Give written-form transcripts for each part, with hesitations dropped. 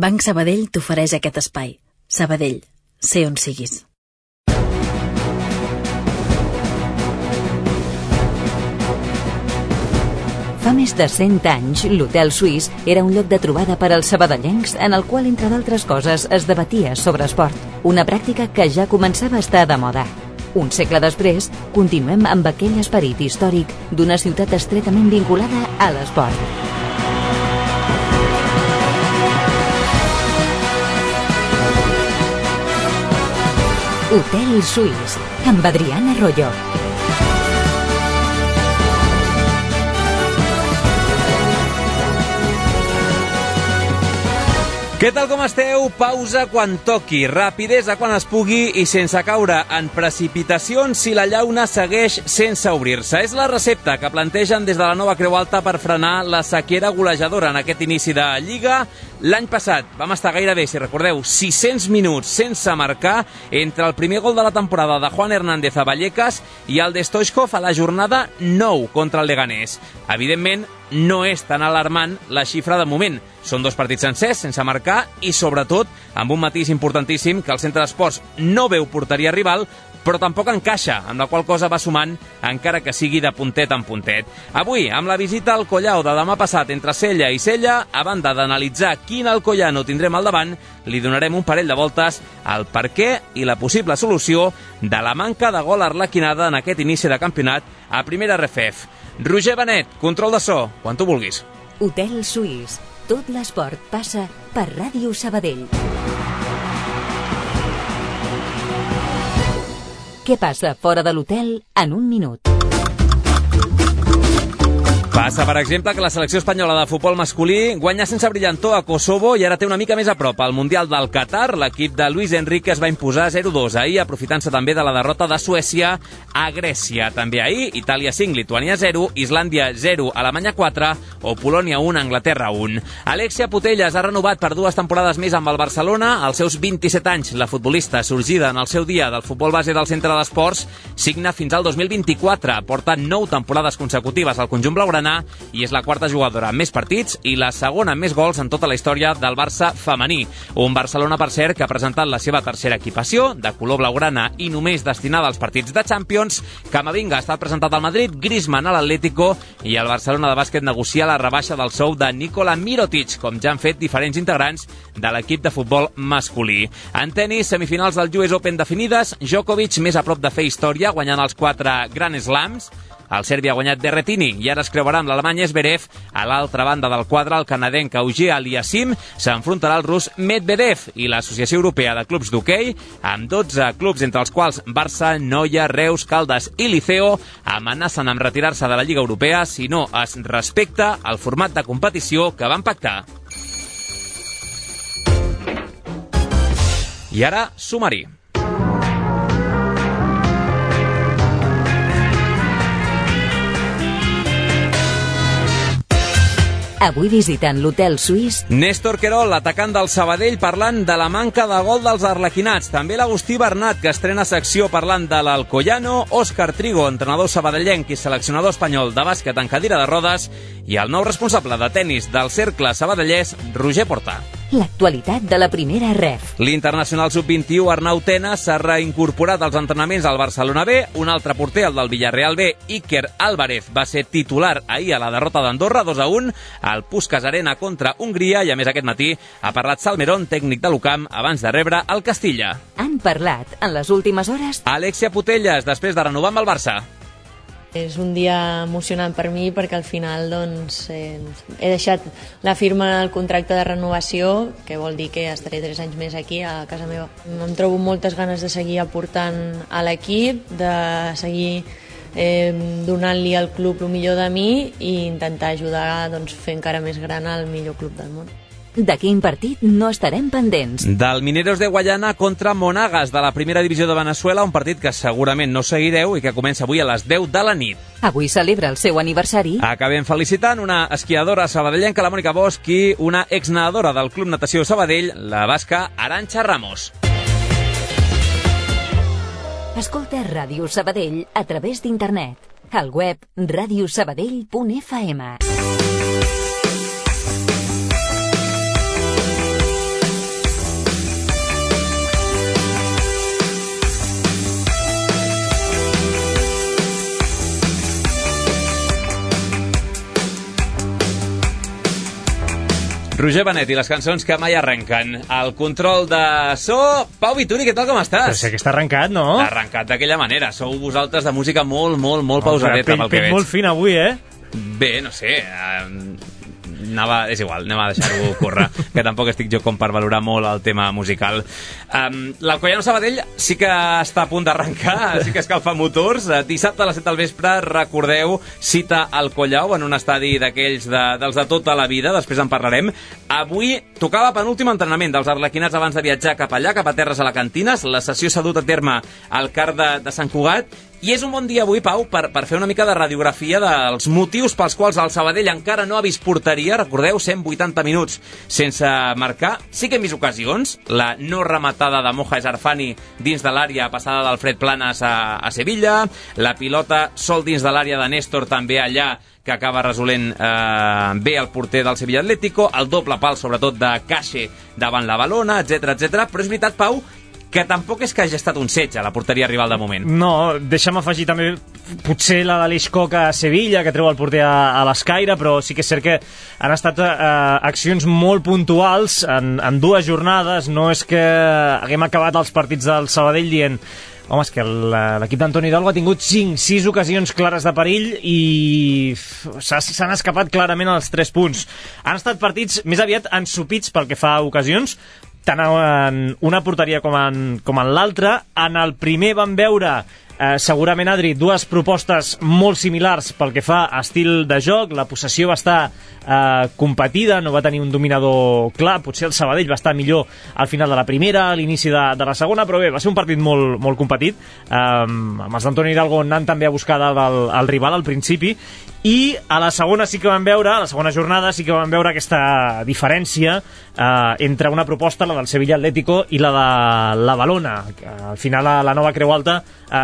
Banc Sabadell t'ofereix aquest espai. Sabadell, sé on siguis. Fa més de 100 anys, l'Hotel Suís era un lloc de trobada per als sabadellencs en el qual, entre d'altres coses, es debatia sobre esport, una pràctica que ja començava a estar de moda. Un segle després, continuem amb aquell esperit històric d'una ciutat estretament vinculada a l'esport. Hotel Suís, amb Adriana Arroyo. Què tal, com esteu? Pausa quan toqui, rapidesa quan es pugui i sense caure en precipitacions si la llauna segueix sense obrir-se. És la recepta que plantegen des de la Nova Creu Alta per frenar la sequera golejadora en aquest inici de Lliga. L'any passat vam estar gairebé, si recordeu, 600 minuts sense marcar entre el primer gol de la temporada de Juan Hernández a Vallecas i el de Stoichkov a la jornada 9 contra el Leganés. Evidentment, no és tan alarmant la xifra de moment. Són 2 partits sencers, sense marcar, i sobretot amb un matís importantíssim que el centre d'esports no veu porteria rival, però tampoc encaixa, amb la qual cosa va sumant, encara que sigui de puntet en puntet. Avui, amb la visita al Collao de demà passat entre Sella i Sella, a banda d'analitzar quin Alcoyano tindrem al davant, li donarem un parell de voltes al per què i la possible solució de la manca de gol arlequinada en aquest inici de campionat a primera RFF. Roger Benet, control de so, quan tu vulguis. Hotel Suís. Tot l'esport passa per Ràdio Sabadell. Què passa fora de l'hotel en un minut? Passa, per exemple, que la selecció espanyola de futbol masculí guanya sense brillantor a Kosovo i ara té una mica més a prop al Mundial del Qatar. L'equip de Luis Enrique es va imposar 0-2 ahir, aprofitant-se també de la derrota de Suècia a Grècia. També ahir, Itàlia 5, Lituània 0, Islàndia 0, Alemanya 4 o Polònia 1, Anglaterra 1. Alexia Putellas ha renovat per 2 temporades més amb el Barcelona. Als seus 27 anys, la futbolista sorgida en el seu dia del futbol base del Centre d'Esports signa fins al 2024. Porta 9 temporades consecutives al conjunt blaugrana i és la 4a jugadora amb més partits i la segona amb més gols en tota la història del Barça femení. Un Barcelona, per cert, que ha presentat la seva tercera equipació, de color blaugrana i només destinada als partits de Champions. Camavinga ha estat presentat al Madrid, Griezmann a l'Atlético i el Barcelona de bàsquet negocia la rebaixa del sou de Nikola Mirotic, com ja han fet diferents integrants de l'equip de futbol masculí. En tenis, semifinals del US Open definides, Djokovic més a prop de fer història, guanyant els 4 Grand Slams. El serbi ha guanyat Berrettini i ara es creuarà amb l'alemany Zverev. A l'altra banda del quadre, el canadenc Auger Aliassime s'enfrontarà al rus Medvedev i l'Associació Europea de Clubs d'Hoquei, amb 12 clubs, entre els quals Barça, Noia, Reus, Caldes i Liceo, amenacen amb retirar-se de la Lliga Europea si no es respecta el format de competició que van pactar. I ara, sumari. Avui visiten l'Hotel Suís Néstor Querol, l'atacant del Sabadell, parlant de la manca de gol dels arlequinats. També l'Agustí Bernat, que estrena secció parlant de l'Alcoyano, Òscar Trigo, entrenador sabadellenc i seleccionador espanyol de bàsquet en cadira de rodes, i el nou responsable de tennis del Cercle Sabadellès, Roger Porta. L'actualitat de la primera REF. L'internacional sub-21 Arnau Tena s'ha reincorporat als entrenaments al Barcelona B. Un altre porter, el del Villarreal B, Iker Álvarez, va ser titular ahir a la derrota d'Andorra 2-1 al Puskás Arena contra Hongria i, a més, aquest matí ha parlat Salmerón, tècnic de l'UCAM, abans de rebre el Castilla. Han parlat en les últimes hores Alexia Putellas, després de renovar amb el Barça. És un dia emocionant per mi perquè al final he deixat la firma del contracte de renovació, que vol dir que estaré 3 anys més aquí a casa meva. Em trobo moltes ganes de seguir aportant a l'equip, de seguir donant-li al club el millor de mi i intentar ajudar a fer encara més gran el millor club del món. De quin partit no estarem pendents? Del Mineros de Guayana contra Monagas, de la primera divisió de Veneçuela, un partit que segurament no seguireu i que comença avui a les 10 de la nit. Avui celebra el seu aniversari. Acabem felicitant una esquiadora sabadellenca, la Mònica Bosch, i una exnedadora del Club Natació Sabadell, la basca Arantxa Ramos. Escolta Ràdio Sabadell a través d'internet. Al web radiosabadell.fm. Roger Benet i les cançons que mai arrenquen. El control de so... Pau Vituri, què tal, com estàs? Però sé que està arrencat, no? Està arrencat d'aquella manera. Sou vosaltres de música molt pausadeta, pel que veig. Molt fin avui, eh? Bé, no sé... és igual, anem a deixar-ho córrer, que tampoc estic jo com per valorar molt el tema musical. L'Alcoyano Sabadell sí que està a punt d'arrencar, sí que escalfa motors. Dissabte a les 7 del vespre, recordeu, cita al Collau en un estadi d'aquells dels de tota la vida, després en parlarem. Avui tocava penúltim entrenament dels arlequinats abans de viatjar cap allà, cap a terres alacantines. La sessió s'ha dut a terme al CAR de Sant Cugat. I és un bon dia avui, Pau, per fer una mica de radiografia dels motius pels quals el Sabadell encara no ha vist porteria. Recordeu, 180 minuts sense marcar. Sí que hem vist ocasions. La no rematada de Moja Esarfani dins de l'àrea passada d'Alfred Planas a Sevilla. La pilota sol dins de l'àrea de Néstor també allà, que acaba resolent bé el porter del Sevilla Atlético. El doble pal, sobretot, de Cache davant la Balona, etc. Però és veritat, Pau, que tampoc és que hagi estat un setge a la porteria rival de moment. No, deixa'm afegir també potser la de l'Ixcoc a Sevilla, que treu el porter a l'escaire, però sí que és cert que han estat accions molt puntuals en dues jornades. No és que haguem acabat els partits del Sabadell dient home, és que l'equip d'Antoni Hidalgo ha tingut 5-6 ocasions clares de perill i s'han escapat clarament els 3 punts. Han estat partits més aviat ensopits pel que fa a ocasions, tant en una porteria com en l'altra. En el primer vam veure segurament, Adri, dues propostes molt similars pel que fa a estil de joc. La possessió va estar competida, no va tenir un dominador clar. Potser el Sabadell va estar millor al final de la primera, a l'inici de la segona, però bé, va ser un partit molt competit, amb els d'Antoni Hidalgo anant també a buscar el rival al principi. I a la segona sí que vam veure, a la segona jornada sí que vam veure aquesta diferència entre una proposta, la del Sevilla Atlético, i la de la Balona. Al final, a la nova Creu Alta,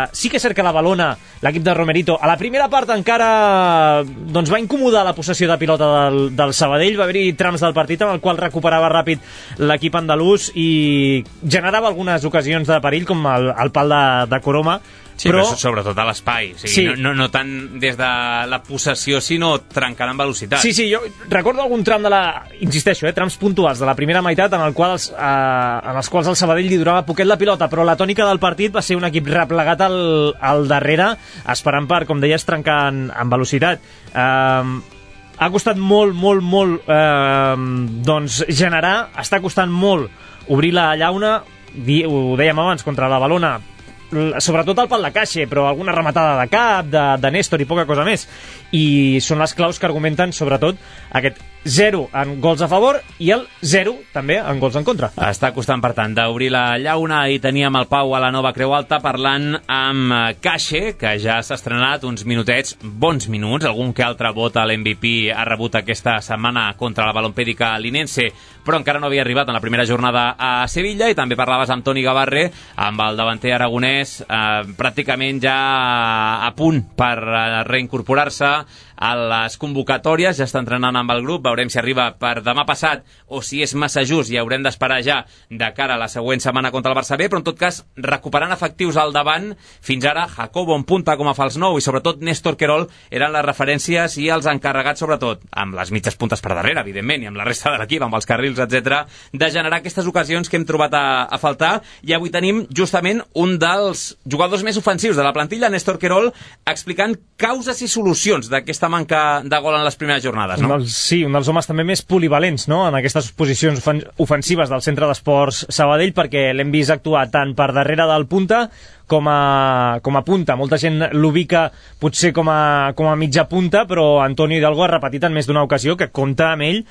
sí que és cert que la Balona, l'equip de Romerito, a la primera part encara doncs, va incomodar la possessió de pilota del Sabadell. Va haver-hi trams del partit en el qual recuperava ràpid l'equip andalús i generava algunes ocasions de perill, com el pal de Coroma. Sí, però sobretot a l'espai, o sigui, sí. No tant des de la possessió, sinó trencant en velocitat. Sí, jo recordo algun tram insisteixo, trams puntuals de la primera meitat en els quals el Sabadell li durava poquet la pilota, però la tònica del partit va ser un equip replegat al darrere, esperant per, com deies, trencar en velocitat. Ha costat molt doncs generar, està costant molt obrir la llauna, ho dèiem abans, contra la Balona, sobretot el pal de Cache, però alguna rematada de cap, de Néstor i poca cosa més. I són les claus que argumenten sobretot aquest 0 en gols a favor i el 0 també en gols en contra. Està costant, per tant, d'obrir la llauna, i teníem el Pau a la nova Creu Alta parlant amb Cache, que ja s'ha estrenat uns minutets, bons minuts, algun que altre vot a l'MVP ha rebut aquesta setmana contra la Balompèdica Linense, però encara no havia arribat en la primera jornada a Sevilla. I també parlaves amb Toni Gavarre, amb el davanter aragonès pràcticament ja a punt per reincorporar-se a les convocatòries, ja està entrenant amb el grup. Veurem si arriba per demà passat o si és massa just i haurem d'esperar ja de cara a la següent setmana contra el Barça B, però en tot cas recuperant efectius al davant. Fins ara Jacobo en punta com a fals nou i sobretot Néstor Querol eren les referències i els encarregats, sobretot amb les mitges puntes per darrere, evidentment, i amb la resta de l'equip, amb els carrils, etc., de generar aquestes ocasions que hem trobat a faltar. I avui tenim justament un dels jugadors més ofensius de la plantilla, Néstor Querol, explicant causes i solucions d'aquesta manca de gol en les primeres jornades, no? Sí, un dels homes també més polivalents, no?, en aquestes posicions ofensives del Centre d'Esports Sabadell, perquè l'hem vist actuar tant per darrere del punta com a punta. Molta gent l'ubica potser com a mitja punta, però Antoni Hidalgo ha repetit en més d'una ocasió que compta amb ell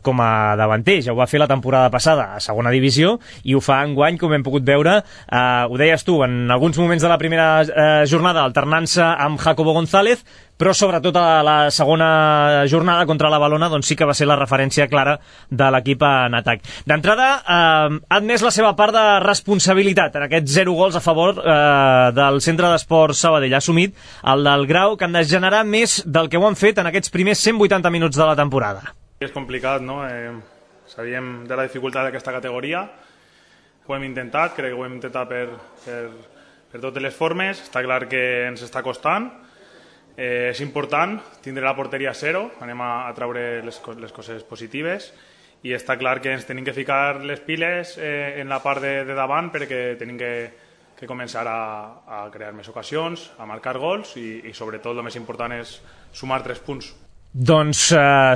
com a davanter. Ja ho va fer la temporada passada a segona divisió i ho fa enguany, com hem pogut veure. Ho deies tu, en alguns moments de la primera jornada alternant-se amb Jacobo González, però sobretot a la segona jornada contra la Balona doncs sí que va ser la referència clara de l'equip en atac. D'entrada, ha admès la seva part de responsabilitat en aquests 0 gols a favor del Centre d'Esports Sabadell. Ha assumit el del Grau, que han de generar més del que ho han fet en aquests primers 180 minuts de la temporada. És complicat, no? Sabíem de la dificultat d'aquesta categoria, ho hem intentat, crec que ho hem intentat per totes les formes. Està clar que ens està costant. És important tindre la porteria a 0, anem a treure les coses positives i està clar que ens tenim que ficar les piles en la part de davant perquè tenim que començar a crear més ocasions, a marcar gols i sobretot el més important és sumar 3 punts. Doncs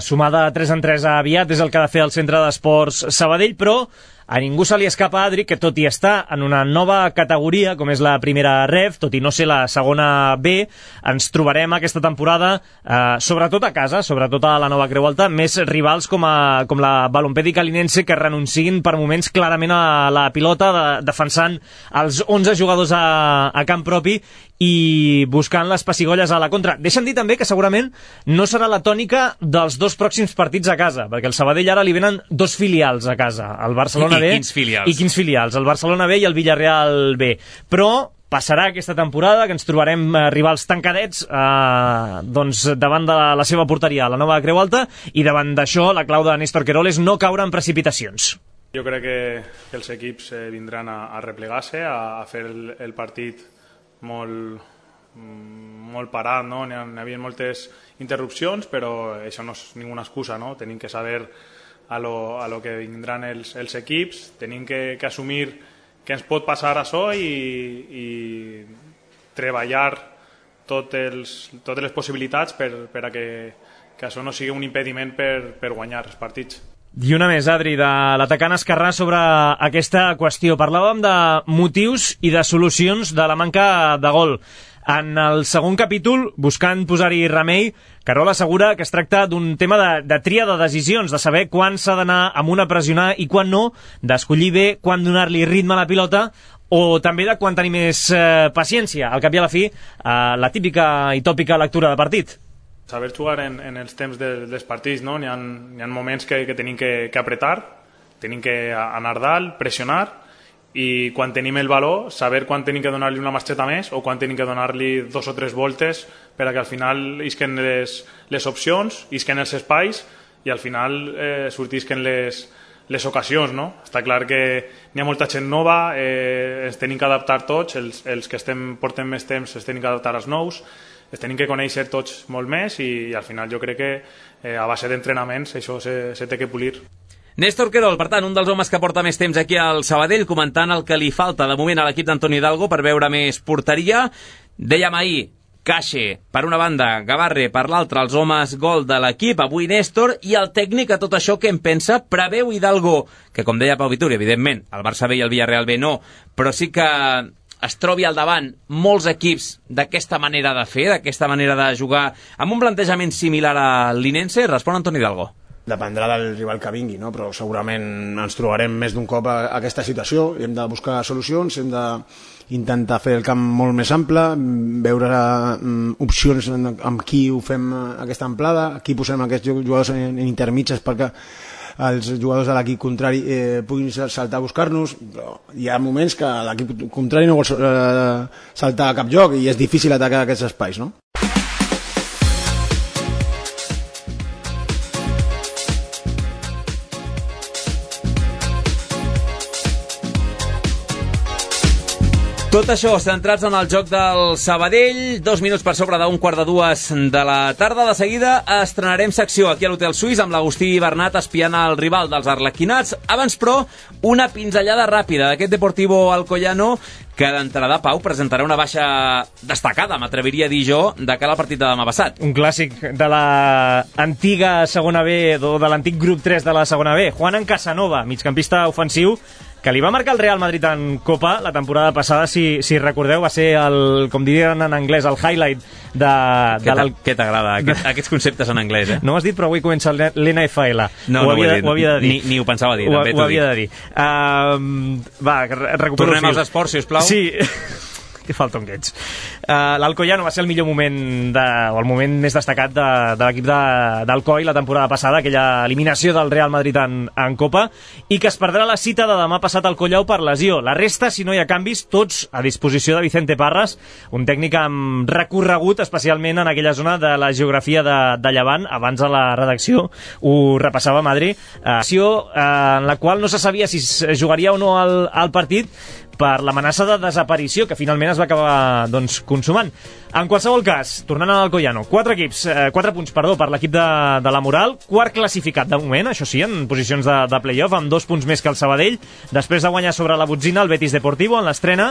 sumada 3-3 aviat és el que ha de fer el Centre d'Esports Sabadell, però a ningú se li escapa, Adri, que tot i estar en una nova categoria, com és la primera REF, tot i no ser la segona B, ens trobarem aquesta temporada, sobretot a casa, sobretot a la Nova Creu Alta, més rivals com la Balompèdica Linense, que renuncien per moments clarament a la pilota, defensant els 11 jugadors a camp propi i buscant les pessigolles a la contra. Deixa'm dir també que segurament no serà la tònica dels 2 pròxims partits a casa, perquè el Sabadell ara li venen 2 filials a casa, el Barcelona B. Quins filials? I quins filials? El Barcelona B i el Villarreal B. Però passarà aquesta temporada que ens trobarem rivals tancadets doncs davant de la seva porteria a la Nova Creu Alta, i davant d'això la clau de Néstor Querol és no caure en precipitacions. Jo crec que els equips vindran a replegar-se, a fer el partit molt parat, no? N'hi havia moltes interrupcions, però això no és ninguna excusa, no? Tenim que saber a lo que vindran els equips, tenim que assumir que ens pot passar això i treballar totes les possibilitats per a que això no sigui un impediment per guanyar els partits. I una més, Adri, de l'atacant esquerrà sobre aquesta qüestió. Parlàvem de motius i de solucions de la manca de gol. En el segon capítol, buscant posar-hi remei, Querol assegura que es tracta d'un tema de tria de decisions, de saber quan s'ha d'anar amb una a pressionar i quan no, d'escollir bé quan donar-li ritme a la pilota, o també de quan tenir més paciència. Al cap i a la fi, la típica i tòpica lectura de partit. Saber jugar en els temps dels partits, no? N'hi ha moments que tenim que apretar, tenim que anar dalt, pressionar, i quan tenim el valor, saber quan tenim que donar-li una marxeta més o quan tenim que donar-li 2 o 3 voltes per a que al final isquen les opcions, isquen els espais i al final sortisquen les ocasions, no? Està clar que n'hi ha molta gent nova, ens tenim que adaptar tots, els que portem més temps ens tenim que adaptar als nous, ens tenim que conèixer tots molt més i al final jo crec que a base d'entrenaments això se té que polir. Néstor Querol, per tant, un dels homes que porta més temps aquí al Sabadell, comentant el que li falta de moment a l'equip d'Antoni Hidalgo per veure més porteria. Dèiem ahir, Caixe, per una banda, Gavarre, per l'altra, els homes gol de l'equip, avui Néstor, i el tècnic a tot això que en pensa, preveu Hidalgo, que com deia Pau Vituri, evidentment, el Barça B i el Villarreal B no, però sí que es trobi al davant molts equips d'aquesta manera de fer, d'aquesta manera de jugar, amb un plantejament similar a l'Inense. Respon Antoni Hidalgo. Dependrà del rival que vingui, no? Però segurament ens trobarem més d'un cop a aquesta situació i hem de buscar solucions, hem d'intentar fer el camp molt més ample, veure opcions amb qui ho fem aquesta amplada, aquí posem aquests jugadors en intermitges perquè els jugadors de l'equip contrari puguin saltar a buscar-nos, però hi ha moments que l'equip contrari no vol saltar a cap lloc i és difícil atacar aquests espais, no? Tot això, centrats en el joc del Sabadell, 2 minuts per sobre d'un 1:45 de la tarda. De seguida estrenarem secció aquí a l'Hotel Suís amb l'Agustí Bernat espiant el rival dels arlequinats. Abans, però, una pinzellada ràpida d'aquest Deportivo Alcoyano que d'entrada, Pau, presentarà una baixa destacada, m'atreviria a dir jo, de cara al partit de demà passat. Un clàssic de l'antiga segona B, o de l'antic grup 3 de la segona B. Juan Casanova, migcampista ofensiu, que li va marcar el Real Madrid en Copa la temporada passada, si recordeu, va ser el, com dirien en anglès, el highlight de... Què t'agrada, aquests conceptes en anglès, eh? No ho has dit, però avui comença l'NFL. No ho havia de dir. Ni ho pensava dir, també t'ho dic. Ho havia de dir. Va, recupero Tornem als esports, sisplau. Sí. Que falta un que ets. L'Alcoyano va ser el millor moment o el moment més destacat de l'equip d'Alcoi la temporada passada, aquella eliminació del Real Madrid en Copa, i que es perdrà la cita de demà passat al Collau per lesió. La resta, si no hi ha canvis, tots a disposició de Vicente Parras, un tècnic amb recorregut, especialment en aquella zona de la geografia de Llevant. Abans a la redacció ho repassava Madri, en la qual no se sabia si es jugaria o no al partit, per l'amenaça de desaparició que finalment es va acabar consumant. En qualsevol cas, tornant al Alcoyano, 4 punts per l'equip de la Moral, quart classificat de moment, això sí, en posicions de play-off, amb 2 punts més que el Sabadell, després de guanyar sobre la Botzina el Betis Deportivo en l'estrena,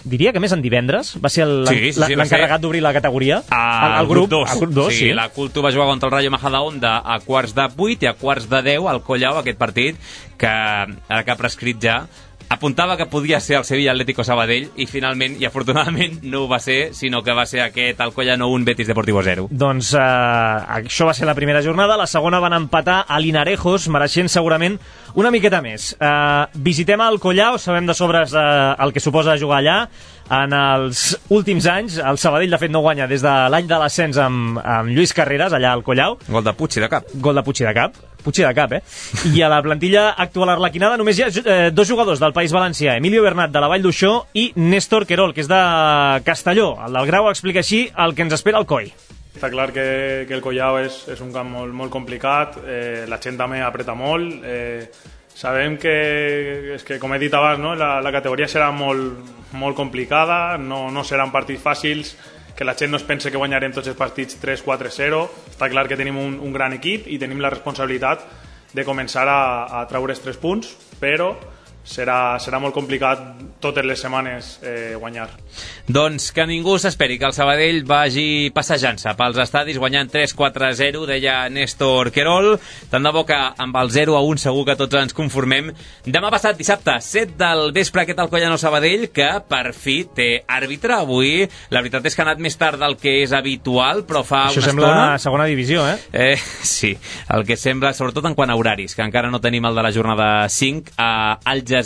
diria que més en divendres, va ser l'encarregat d'obrir la categoria, el grup 2. Sí, la Culto va jugar contra el Rayo Majadahonda a quarts de 8 i a quarts de 10 al Collao, aquest partit, que ara que ha prescrit ja, apuntava que podia ser el Sevilla Atlético Sabadell i finalment i afortunadament no ho va ser, sinó que va ser aquest Alcoyano 1, Betis Deportivo 0. Doncs això va ser la primera jornada, la segona van empatar a Linarejos, mereixent segurament una miqueta més. Visitem el Collao, sabem de sobres el que suposa jugar allà. En els últims anys, el Sabadell de fet no guanya des de l'any de l'ascens amb Lluís Carreras, allà al Collao. Gol de Puig i de cap. Puig i de cap, I a la plantilla actual arlequinada només hi ha 2 jugadors del País Valencià, Emilio Bernat de la Vall d'Uixó i Néstor Querol, que és de Castelló. El del Grau explica així el que ens espera el COI. Està clar que el Collao és un camp molt complicat, la gent també apreta molt, sabem que com he dit abans, no? la categoria serà molt complicada, no seran partits fàcils, que la gent no es pense que guanyarem tots els partits 3-4-0. Està clar que tenim un gran equip i tenim la responsabilitat de començar a treure els 3 punts, però serà molt complicat totes les setmanes guanyar. Doncs que ningú s'esperi que el Sabadell vagi passejant-se pels estadis guanyant 3-4-0, deia Néstor Querol. Tant de bo que amb el 0-1 segur que tots ens conformem. Demà passat, dissabte, 7 del vespre, aquest Alcoyano Sabadell, que per fi té àrbitre avui. La veritat és que ha anat més tard del que és habitual, però fa això una sembla estona... segona divisió, Sí, el que sembla, sobretot en quant a horaris, que encara no tenim el de la jornada 5 a Algeciras.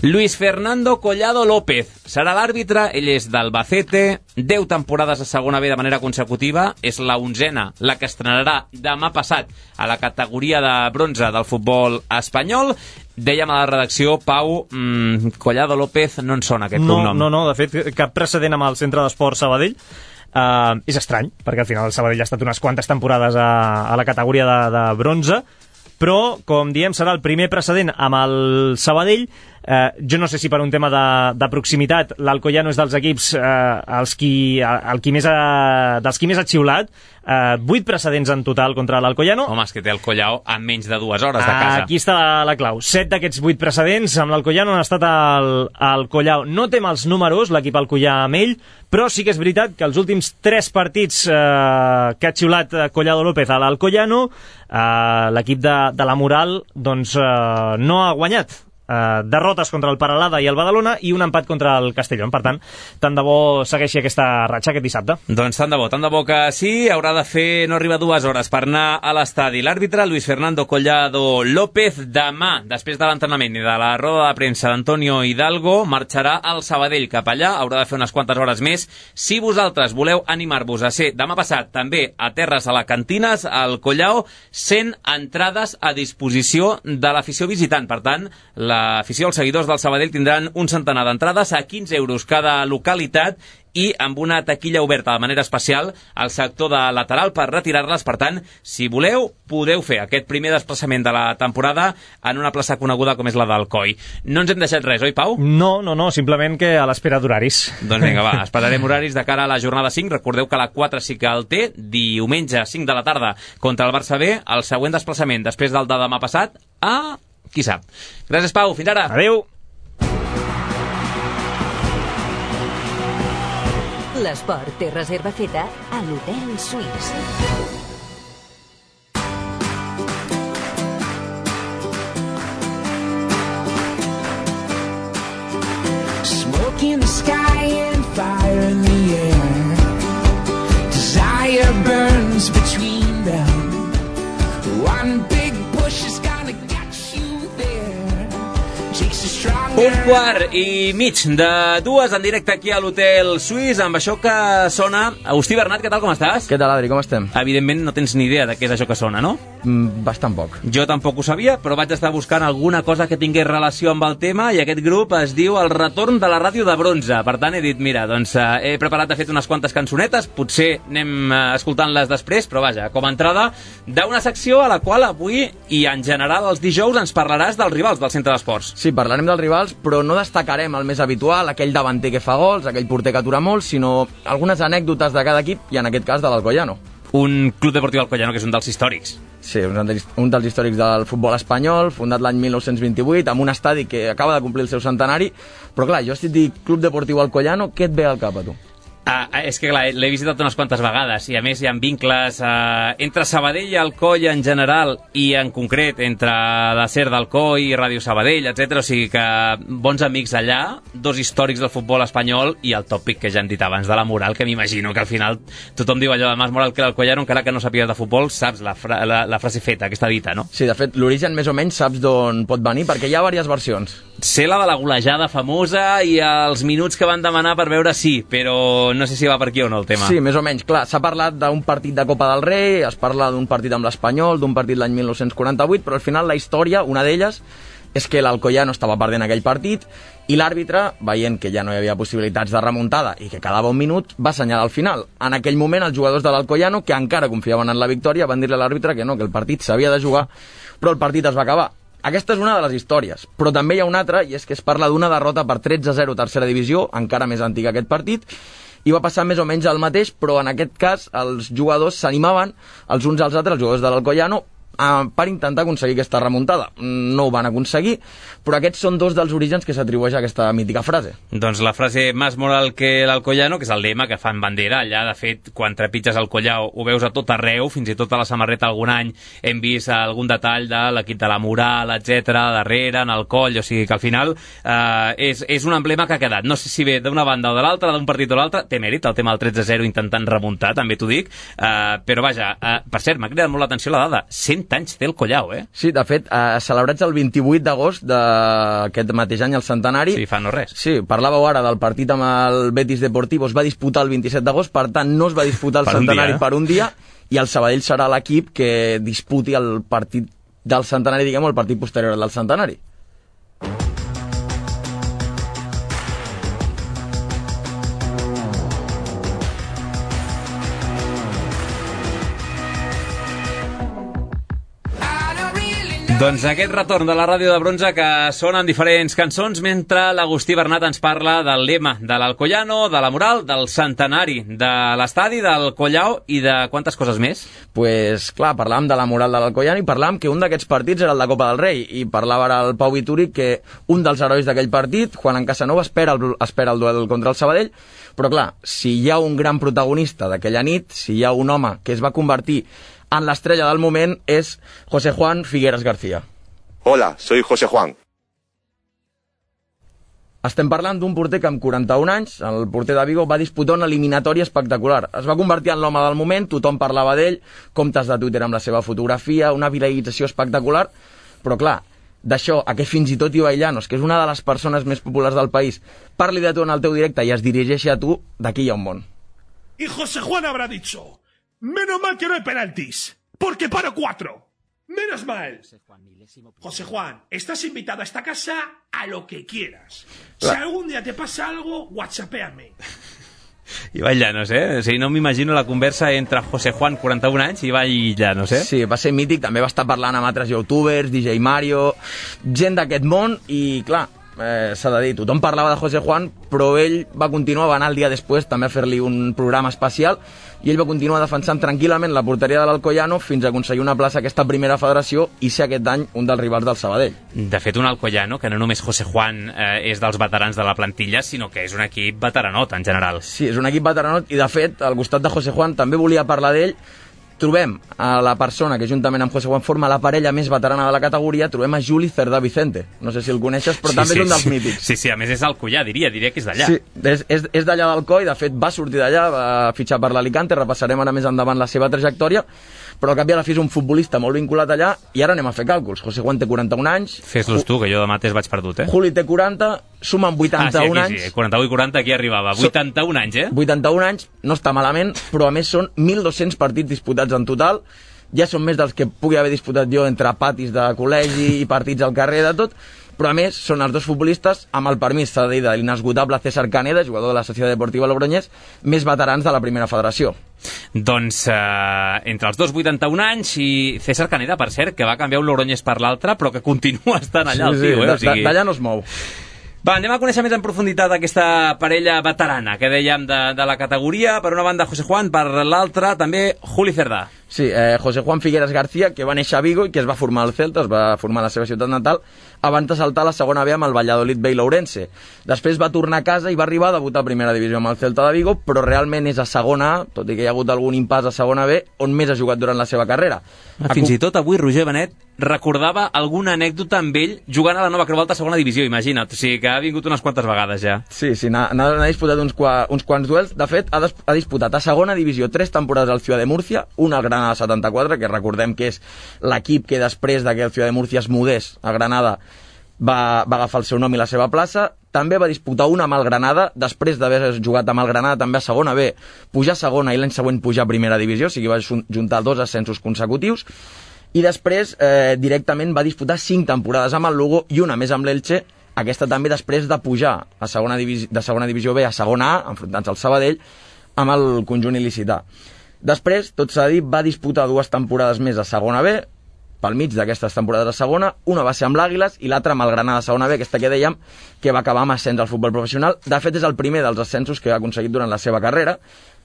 Luis Fernando Collado López serà l'àrbitre, ell és d'Albacete, 10 temporades a segona B de manera consecutiva, és la 11a, la que estrenarà demà passat a la categoria de bronze del futbol espanyol. Dèiem a la redacció, Pau, Collado López no en sona aquest cognom. No, de fet, cap precedent amb el Centre d'Esport Sabadell. És estrany, perquè al final el Sabadell ha estat unes quantes temporades a la categoria de bronze, però, com diem, serà el primer precedent amb el Sabadell. Jo no sé si per un tema de proximitat l'Alcoyano és dels equips dels qui més ha xiulat. 8 precedents en total contra l'Alcoyano. Home, és que té el Collao a menys de 2 hores de casa. Aquí està la clau. 7 d'aquests 8 precedents amb l'Alcoyano han estat al Collao. No té mals números l'equip alcoyà amb ell, però sí que és veritat que els últims 3 partits que ha xiulat Collado López a l'Alcoyano, l'equip de la Moral doncs no ha guanyat. Derrotes contra el Paralada i el Badalona i un empat contra el Castellón. Per tant de bo segueixi aquesta ratxa aquest dissabte. Doncs tant de bo que sí. Haurà de fer, no arriba 2 hores per anar a l'estadi. L'àrbitre, Luis Fernando Collado López, demà, després de l'entrenament i de la roda de premsa d'Antonio Hidalgo, marxarà al Sabadell cap allà. Haurà de fer unes quantes hores més. Si vosaltres voleu animar-vos a ser demà passat també a Terres Alacantines, al Collao, 100 entrades a disposició de l'afició visitant. Per tant, l'afició, els seguidors del Sabadell tindran un centenar d'entrades a 15 euros cada localitat i amb una taquilla oberta de manera especial al sector de lateral per retirar-les. Per tant, si voleu, podeu fer aquest primer desplaçament de la temporada en una plaça coneguda com és la d'Alcoi. No ens hem deixat res, oi, Pau? No, simplement que a l'espera d'horaris. Doncs vinga, va, esperarem horaris de cara a la jornada 5. Recordeu que la 4 sí que el té, diumenge 5 de la tarda contra el Barça B, el següent desplaçament després del de demà passat qui sap. Gràcies, Pau. Fins ara. Adéu. L'esport té reserva feta a l'Hotel Suís. Smoke in the sky and fire in the air. Desire burns between them. One big bush is gonna get you there. Takes a strong Un quart i mig de 2 en directe aquí a l'Hotel Suís, amb això que sona. Agustí Bernat, què tal, com estàs? Què tal, Adri, com estem? Evidentment no tens ni idea de què és això que sona, no? Bastant poc. Jo tampoc ho sabia, però vaig estar buscant alguna cosa que tingués relació amb el tema i aquest grup es diu El retorn de la ràdio de bronze. Per tant, he dit, mira, doncs he preparat, de fet, unes quantes cançonetes, potser anem escoltant-les després, però vaja, com a entrada d'una secció a la qual avui i en general els dijous ens parlaràs dels rivals del Centre d'Esports. Sí, parlarem dels rivals, però no destacarem el més habitual, aquell davanter que fa gols, aquell porter que atura molt, sinó algunes anècdotes de cada equip, i en aquest cas de l'Alcoyano. Un club deportiu Alcoyano que és un dels històrics. Sí, un dels històrics del futbol espanyol, fundat l'any 1928, amb un estadi que acaba de complir el seu centenari. Però clar, jo si et dic Club Deportiu Alcoyano, què et ve al cap a tu? És que clar, l'he visitat unes quantes vegades i a més hi ha vincles entre Sabadell i Alcoi en general i en concret entre la SER d'Alcoi i Ràdio Sabadell, etc. O sigui que bons amics allà, dos històrics del futbol espanyol i el tòpic que ja hem dit abans de la moral, que m'imagino que al final tothom diu allò de més moral que l'Alcoyano, encara que no sàpigues de futbol, saps la frase feta, aquesta dita, no? Sí, de fet, l'origen més o menys saps d'on pot venir, perquè hi ha diverses versions. Sé la de la golejada famosa i els minuts que van demanar per veure sí, però no sé si va per aquí o no el tema. Sí, més o menys, clar, s'ha parlat d'un partit de Copa del Rei, es parla d'un partit amb l'Espanyol, d'un partit l'any 1948, però al final la història, una d'elles, és que l'Alcoyano estava perdent aquell partit i l'àrbitre, veient que ja no hi havia possibilitats de remuntada i que quedava un minut, va assenyalar al final. En aquell moment, els jugadors de l'Alcoyano, que encara confiaven en la victòria, van dir-li a l'àrbitre que no, que el partit s'havia de jugar, però el partit es va acabar. Aquesta és una de les històries, però també hi ha una altra, i és que es parla d'una derrota per 13-0 tercera divisió, encara més antiga aquest partit, i va passar més o menys el mateix, però en aquest cas els jugadors s'animaven els uns als altres, els jugadors de l'Alcoyano, per intentar aconseguir aquesta remuntada. No ho van aconseguir, però aquests són dos dels orígens que s'atribueix a aquesta mítica frase. Doncs la frase més moral que l'Alcoyano, que és el lema que fan bandera allà, de fet, quan trepitges el Collao ho veus a tot arreu, fins i tot a la samarreta algun any hem vist algun detall de l'equip de la moral, etc darrere, en el coll, o sigui que al final és un emblema que ha quedat. No sé si ve d'una banda o de l'altra, d'un partit o l'altre, té mèrit el tema del 13-0 intentant remuntar, també t'ho dic, però vaja, per cert, m'ha cridat molt l'atenció la dada, 100 anys té el Collao, Sí, de fet, celebrats el 28 d'agost d'aquest mateix any, el centenari. Sí, fa no res. Sí, parlàveu ara del partit amb el Betis Deportivo, es va disputar el 27 d'agost, per tant, no es va disputar el centenari per un dia, i el Sabadell serà l'equip que disputi el partit del centenari, diguem-ho, el partit posterior del centenari. Doncs aquest retorn de la ràdio de bronze que sona en diferents cançons mentre l'Agustí Bernat ens parla del lema de l'Alcoyano, de la moral, del centenari, de l'estadi, del Collao i de quantes coses més? Pues clar, parlàvem de la moral de l'Alcoyano i parlàvem que un d'aquests partits era el de Copa del Rei, i parlava ara el Pau Vituri que un dels herois d'aquell partit, Juan Casanova, espera el duel contra el Sabadell, però clar, si hi ha un gran protagonista d'aquella nit, si hi ha un home que es va convertir en l'estrella del moment, és José Juan Figueras García. Hola, soy José Juan. Estem parlant d'un porter que amb 41 anys, el porter de Vigo, va disputar una eliminatòria espectacular. Es va convertir en l'home del moment, tothom parlava d'ell, comptes de Twitter amb la seva fotografia, una viralització espectacular, però clar, d'això, a que fins i tot Ibai Llanos, que és una de les persones més populars del país, parli de tu en el teu directe i es dirigeixi a tu, d'aquí hi ha un món. Y José Juan habrá dicho: menos mal que no hay penaltis, porque paro 4. Menos mal. José Juan, estás invitado a esta casa a lo que quieras. Si algún día te pasa algo, whatsappéame. Ibai Llanos, O sigui, no m'imagino la conversa entre José Juan, 41 anys, i Ibai Llanos, Sí, va ser mític, també va estar parlant amb altres youtubers, DJ Mario, gent d'aquest món, i clar, s'ha de dir, tothom parlava de José Juan, però ell va continuar, va anar el dia després també a fer-li un programa especial, i ell va continuar defensant tranquil·lament la porteria de l'Alcoyano fins a aconseguir una plaça a aquesta primera federació i ser aquest any un dels rivals del Sabadell. De fet, un Alcoyano que no només José Juan és dels veterans de la plantilla, sinó que és un equip veteranot en general. Sí, és un equip veteranot, i de fet, al costat de José Juan també volia parlar d'ell. Trobem a la persona que juntament amb José Juan forma la parella més veterana de la categoria, trobem a Juli Cerdà Vicente. No sé si el coneixes, però també és un dels mítics. Sí, a més és alcoià, diria que és d'allà. Sí, és d'allà del Coi, de fet va sortir d'allà, va fitxar per l'Alicante, repassarem ara més endavant la seva trajectòria, però al cap i a la fi és un futbolista molt vinculat allà, i ara anem a fer càlculs. José Juan té 41 anys. Fes-los tu, que jo demà vaig perdut, Juli té 40, sumen 81 anys. Sí, 41 i 40, aquí arribava. 81 anys, 81 anys, no està malament, però a més són 1.200 partits disputats en total, ja són més dels que pugui haver disputat jo entre patis de col·legi i partits al carrer de tot, però a més són els dos futbolistes, amb el permís, s'ha de dir, de l'inesgotable César Caneda, jugador de la Societat Deportiva Logroñés, més veterans de la primera federació. Doncs entre els dos 81 anys i César Caneda, per cert, que va canviar un Logroñés per l'altre, però que continua estant allà, el tio. D'allà no es mou. Va, anem a conèixer més en profunditat aquesta parella veterana que dèiem de la categoria. Per una banda José Juan, per l'altra també Juli Cerdà. Sí, José Juan Figueras García, que va néixer a Vigo i que es va formar al Celta, es va formar a la seva ciutat natal, abans de saltar a la segona B amb el Valladolid B i l'Ourense. Després va tornar a casa i va arribar a debutar a primera divisió amb el Celta de Vigo, però realment és a segona A, tot i que hi ha hagut algun impàs a segona B, on més ha jugat durant la seva carrera. Fins i tot avui Roger Benet recordava alguna anècdota amb ell jugant a la Nova Creu Alta a segona divisió, imagina't. O sigui que ha vingut unes quantes vegades ja. Sí, n'ha disputat uns quants duels. De fet, ha disputat a segona divisió 3 temporades al Ciudad de Múrcia, una al Granada 74, que recordem que és l'equip que després que el Ciudad de Múrcia es mudés a Granada va agafar el seu nom i la seva plaça. També va disputar una amb el Granada, després d'haver jugat amb el Granada també a segona B, pujar a segona i l'any següent pujar a primera divisió, o sigui va juntar 2 ascensos consecutius. I després directament va disputar 5 temporades amb el Lugo i una més amb l'Elche, aquesta també després de pujar de segona divisió B a segona A, enfrontant-se al Sabadell, amb el conjunt il·licità. Després, tot s'ha dit, va disputar 2 temporades més a segona B, pel mig d'aquestes temporades a segona, una va ser amb l'Àguiles i l'altra amb el Granada segona B, aquesta que dèiem, que va acabar amb ascens al futbol professional. De fet, és el primer dels ascensos que ha aconseguit durant la seva carrera.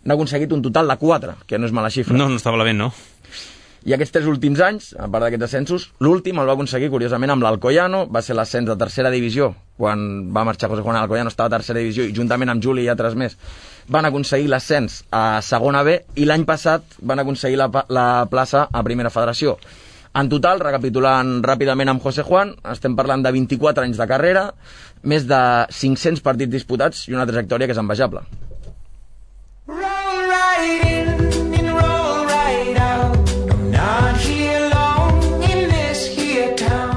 N'ha aconseguit un total de 4, que no és mala xifra. No estava malament, no? I aquests 3 últims anys, a part d'aquests ascensos, l'últim el va aconseguir, curiosament, amb l'Alcoyano, va ser l'ascens de tercera divisió, quan va marxar José Juan Alcoyano, estava a tercera divisió, i juntament amb Juli i altres més, van aconseguir l'ascens a segona B, i l'any passat van aconseguir la plaça a primera federació. En total, recapitulant ràpidament amb José Juan, estem parlant de 24 anys de carrera, més de 500 partits disputats i una trajectòria que és envejable.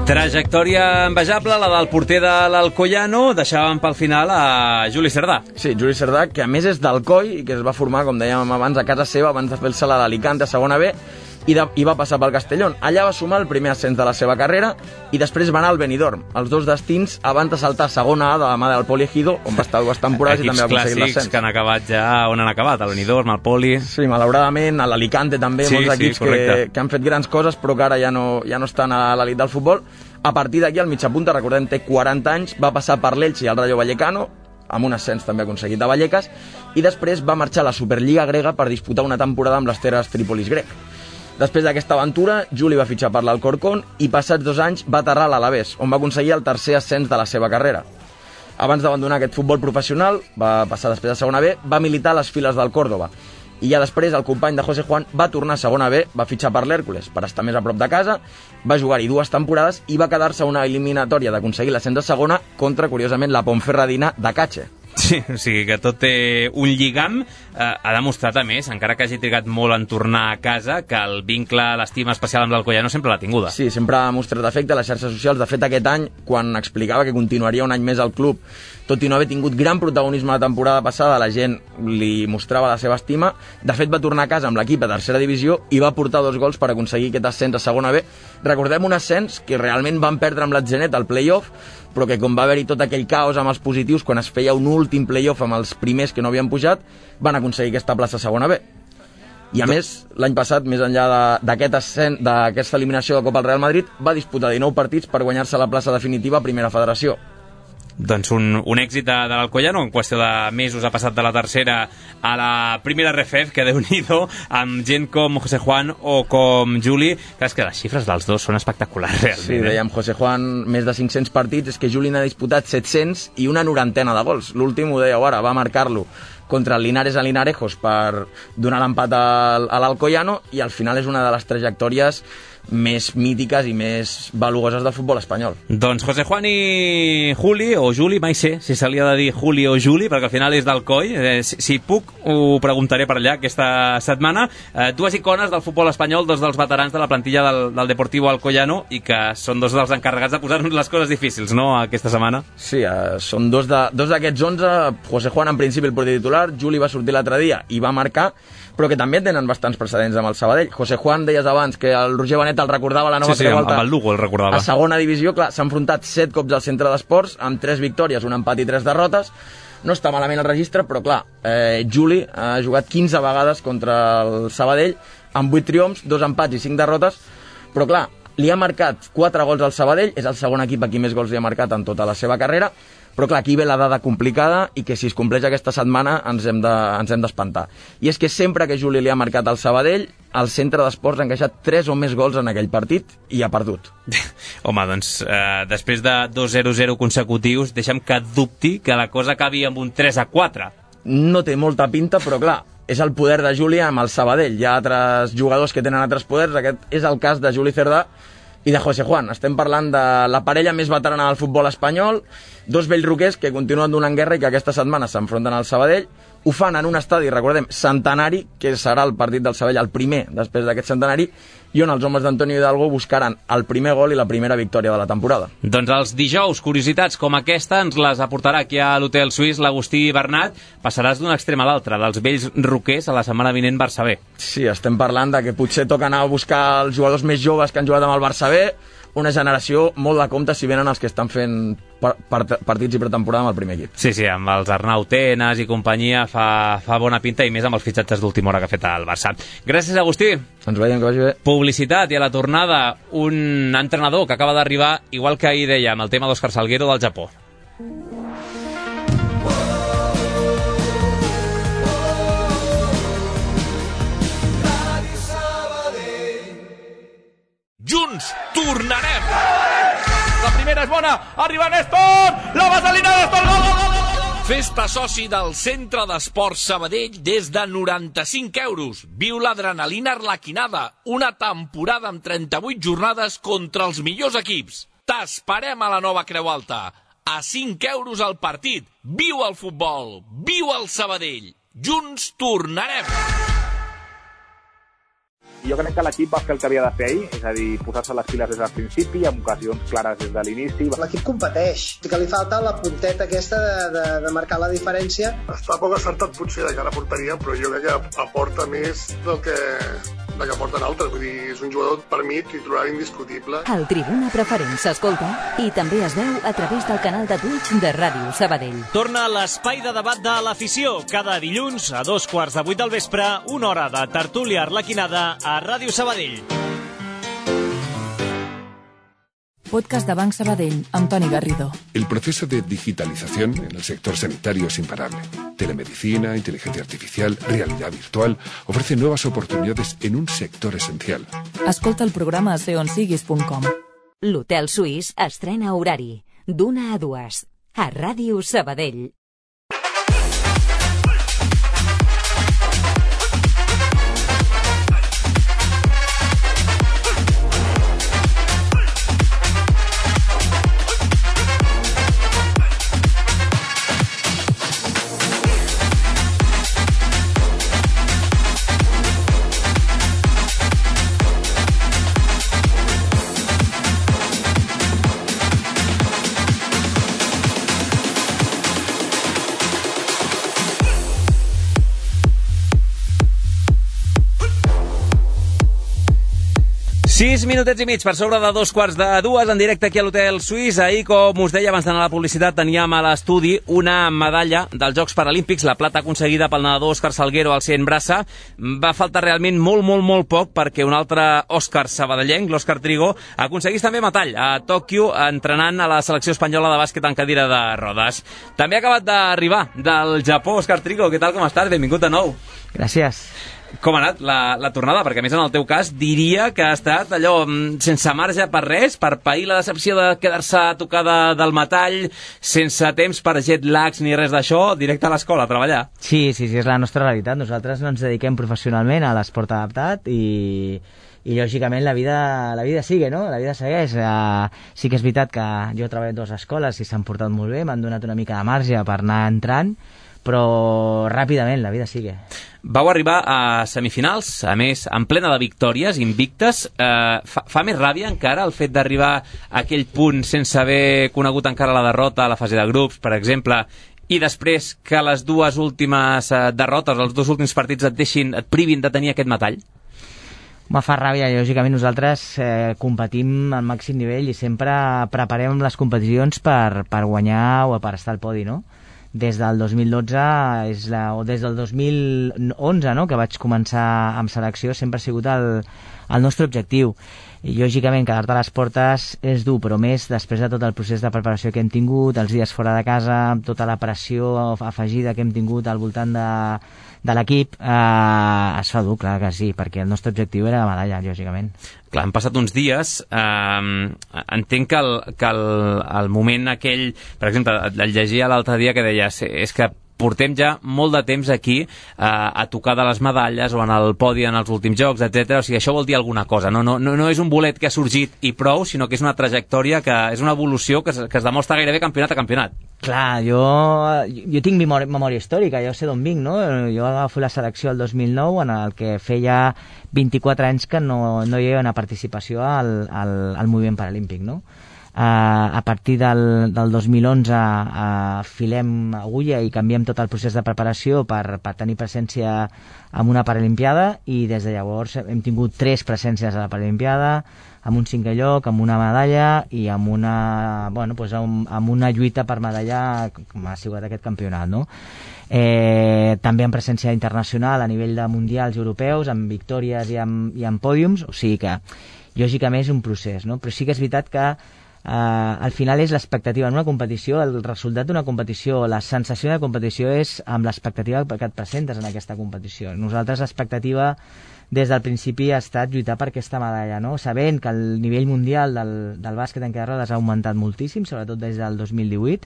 Trajectòria envejable, la del porter de l'Alcoyano. Deixàvem pel final a Juli Cerdà. Sí, Juli Cerdà, que a més és d'Alcoi i que es va formar, com dèiem abans, a casa seva abans de fer-se la d'Alicante a segona B i va passar pel Castellón. Allà va sumar el primer ascens de la seva carrera i després va anar al Benidorm, els dos destins abans de saltar a segona A de la mà del Poli Ejido, on va estar 2 temporades i també va aconseguir l'ascens. Equips clàssics que han acabat ja on han acabat, al Benidorm, al Poli... Sí, malauradament, a l'Alicante també, molts equips que han fet grans coses però que ara ja no estan a l'elit del futbol. A partir d'aquí, el mitjapunta, recordem, té 40 anys, va passar per l'Elche i el Rayo Vallecano, amb un ascens també aconseguit a Vallecas, i després va marxar a la Superliga grega per disputar una temporada amb l'Asteras Tripolis grec. Després d'aquesta aventura, Juli va fitxar per l'Alcorcón i passats 2 anys va aterrar a l'Alavés, on va aconseguir el tercer ascens de la seva carrera. Abans d'abandonar aquest futbol professional, va passar després a segona B, va militar a les files del Córdoba. I ja després el company de José Juan va tornar a segona B, va fitxar per l'Hèrcules per estar més a prop de casa, va jugar-hi 2 temporades i va quedar-se a una eliminatòria d'aconseguir l'ascens a segona contra, curiosament, la Ponferradina de Cache. Sí, o sigui que tot té un lligam. Ha demostrat, a més, encara que hagi trigat molt en tornar a casa, que el vincle, l'estima especial amb l'Alcoyano sempre l'ha tinguda. Sí, sempre ha mostrat afecte a les xarxes socials. De fet, aquest any, quan explicava que continuaria un any més al club, tot i no haver tingut gran protagonisme la temporada passada, la gent li mostrava la seva estima. De fet, va tornar a casa amb l'equip a tercera divisió i va portar 2 gols per aconseguir aquest ascens a segona B. Recordem un ascens que realment van perdre amb l'Atzenet al play-off, però que com va haver-hi tot aquell caos amb els positius, quan es feia un últim play-off amb els primers que no havien pujat, van aconseguir aquesta plaça a segona B. I a més, l'any passat, més enllà d'aquesta eliminació de Copa al Real Madrid, va disputar 19 partits per guanyar-se la plaça definitiva a Primera Federació. Doncs un èxit de l'Alcoyano, en qüestió de mesos ha passat de la tercera a la primera RFF, que Déu-n'hi-do, amb gent com José Juan o com Juli. Clar, és que les xifres dels dos són espectaculars, realment. Sí, dèiem, José Juan, més de 500 partits, és que Juli n'ha disputat 700 i una 90 de gols. L'últim, ho dèieu ara, va marcar-lo contra el Linares a Linarejos per donar l'empat a l'Alcoyano, i al final és una de les trajectòries més mítiques i més valuoses del futbol espanyol. Doncs José Juan i Juli, o Juli, mai sé si se li ha de dir Juli o Juli, perquè al final és d'Alcoi. Si puc, ho preguntaré per allà aquesta setmana. Dues icones del futbol espanyol, dos dels veterans de la plantilla del Deportivo Alcoyano, i que són dos dels encarregats de posar-nos les coses difícils, no?, aquesta setmana. Sí, són dos d'aquests 11. José Juan, en principi, el porter titular. Juli va sortir l'altre dia i va marcar, però que també tenen bastants precedents amb el Sabadell. José Juan, deies abans que el Roger Benet el recordava la nova Trevolta. Amb el Lugo el recordava. A segona divisió, clar, s'ha enfrontat 7 cops al centre d'esports, amb 3 victòries, un empat i 3 derrotes. No està malament el registre, però clar, Juli ha jugat 15 vegades contra el Sabadell, amb 8 triomfs, 2 empats i 5 derrotes, però clar, li ha marcat 4 gols al Sabadell, és el segon equip a qui més gols li ha marcat en tota la seva carrera, però clar, aquí ve la dada complicada i que si es compleix aquesta setmana ens hem d'espantar. I és que sempre que Juli li ha marcat al Sabadell, el centre d'esports ha encaixat 3 o més gols en aquell partit i ha perdut. Home, doncs, després de 2-0-0 consecutius, deixa'm que dubti que la cosa acabi amb un 3-4. No té molta pinta, però clar, és el poder de Juli amb el Sabadell. Hi ha altres jugadors que tenen altres poders, aquest és el cas de Juli Cerdà i de José Juan. Estem parlant de la parella més veterana del futbol espanyol, dos vells roquers que continuen donant guerra i que aquesta setmana s'enfronten al Sabadell. Ho fan en un estadi, recordem, centenari, que serà el partit del Sabadell, el primer després d'aquest centenari, i on els homes d'Antonio Hidalgo buscaran el primer gol i la primera victòria de la temporada. Doncs els dijous, curiositats com aquesta ens les aportarà aquí a l'Hotel Suís l'Agustí Bernat. Passaràs d'un extrem a l'altre, dels vells roquers a la setmana vinent Barça B. Sí, estem parlant de que potser toca anar a buscar els jugadors més joves que han jugat amb el Barça B, una generació molt de compte si venen els que estan fent partits i pretemporada amb el primer equip. Sí, amb els Arnau Tenas i companyia fa bona pinta, i més amb els fitxatges d'última hora que ha fet el Barça. Gràcies, Agustí. Ens veiem, que vagi bé. Publicitat, i a la tornada un entrenador que acaba d'arribar, igual que ahir dèiem, el tema d'Òscar Salguero del Japó. Junts tornarem! La primera és bona, arriba Néstor! La vaselina Néstor! Gol, gol, gol, gol! Fes-te soci del Centre d'Esports Sabadell des de 95 euros. Viu l'adrenalina arlequinada, una temporada amb 38 jornades contra els millors equips. T'esperem a la nova Creu Alta. A 5 euros al partit. Viu el futbol! Viu el Sabadell! Junts tornarem! Jo crec que l'equip va fer el que havia de fer ahir, és a dir, posar-se les piles des del principi, amb ocasions clares des de l'inici. L'equip competeix, que li falta la punteta aquesta de marcar la diferència. Està poc acertat potser de cara a porteria, però jo crec que aporta més del que aporten altres. Vull dir, és un jugador per mi titular indiscutible. El Tribuna Preferent s'escolta i també es veu a través del canal de Twitch de Ràdio Sabadell. Torna l'espai de debat de l'afició. Cada dilluns a 7:45 del vespre, una hora de tertúlia arlequinada a Ràdio Sabadell. Podcast de Banc Sabadell, amb Toni Garrido. El proceso de digitalización en el sector sanitario es imparable. Telemedicina, inteligencia artificial, realidad virtual ofrecen nuevas oportunidades en un sector esencial. Escolta el programa a seonsiguis.com. L'Hotel Suís estrena horari d'1 a 2 a Ràdio Sabadell. Sis minutets i mig per sobre de 2:45 en directe aquí a l'Hotel Suís. Ahir, com us deia abans d'anar a la publicitat, teníem a l'estudi una medalla dels Jocs Paralímpics, la plata aconseguida pel nedador Òscar Salguero al 100 braça. Va faltar realment molt poc perquè un altre Òscar sabadellenc, l'Òscar Trigo, aconseguís també metall a Tòquio entrenant a la selecció espanyola de bàsquet en cadira de rodes. També ha acabat d'arribar del Japó, Òscar Trigo. Què tal, com estàs? Benvingut de nou. Gràcies. Com ha anat la tornada? Perquè, a més, en el teu cas, diria que ha estat allò sense marge per res, per pair la decepció de quedar-se a tocar del metall, sense temps per jet lags ni res d'això, directe a l'escola, a treballar. Sí, és la nostra realitat. Nosaltres no ens dediquem professionalment a l'esport adaptat i i lògicament la vida sigue, no? La vida segueix. Sí que és veritat que jo he treballat a 2 escoles i s'han portat molt bé, m'han donat una mica de marge per anar entrant, però ràpidament la vida sigue. Vau arribar a semifinals, a més, en plena de victòries, invictes. Fa més ràbia encara el fet d'arribar a aquell punt sense haver conegut encara la derrota a la fase de grups, per exemple, i després que les 2 últimes derrotes, els 2 últims partits et privin de tenir aquest metall? Me fa ràbia, lògicament nosaltres competim al màxim nivell i sempre preparem les competicions per guanyar o per estar al podi, no? Des del 2012 o des del 2011, no?, que vaig començar amb selecció, sempre ha sigut el nostre objectiu. I lògicament quedar-te a les portes és dur, però més després de tot el procés de preparació que hem tingut, els dies fora de casa, tota la pressió afegida que hem tingut al voltant de l'equip, es fa dur, clar que sí, perquè el nostre objectiu era la medalla, lògicament. Clar, han passat uns dies, entenc que el moment aquell, per exemple, el llegia l'altre dia que deies, és que portem ja molt de temps aquí a tocar de les medalles o en el podi en els últims jocs, etc. O sigui, això vol dir alguna cosa. No és un bolet que ha sorgit i prou, sinó que és una trajectòria, que és una evolució que es demostra gairebé campionat a campionat. Clar, jo tinc memòria històrica, jo sé d'on vinc, no? Jo agafo la selecció el 2009, en el que feia 24 anys que no hi havia una participació al moviment paralímpic, no? A partir del 2011 filem agulla i canviem tot el procés de preparació per tenir presència en una Paralimpiada, i des de llavors hem tingut 3 presències a la Paralimpiada, amb un 5è lloc, amb una medalla i amb una lluita per medalla, com ha sigut aquest campionat, no? També amb presència internacional a nivell de mundials europeus, amb victòries i amb pòdiums, o sigui que lògicament és un procés, no? Però sí que és veritat que al final és l'expectativa en una competició, el resultat d'una competició, la sensació de competició és amb l'expectativa que et presentes en aquesta competició. Nosaltres l'expectativa des del principi ha estat lluitar per aquesta medalla, no? Sabent que el nivell mundial del bàsquet en cadira de rodes ha augmentat moltíssim, sobretot des del 2018,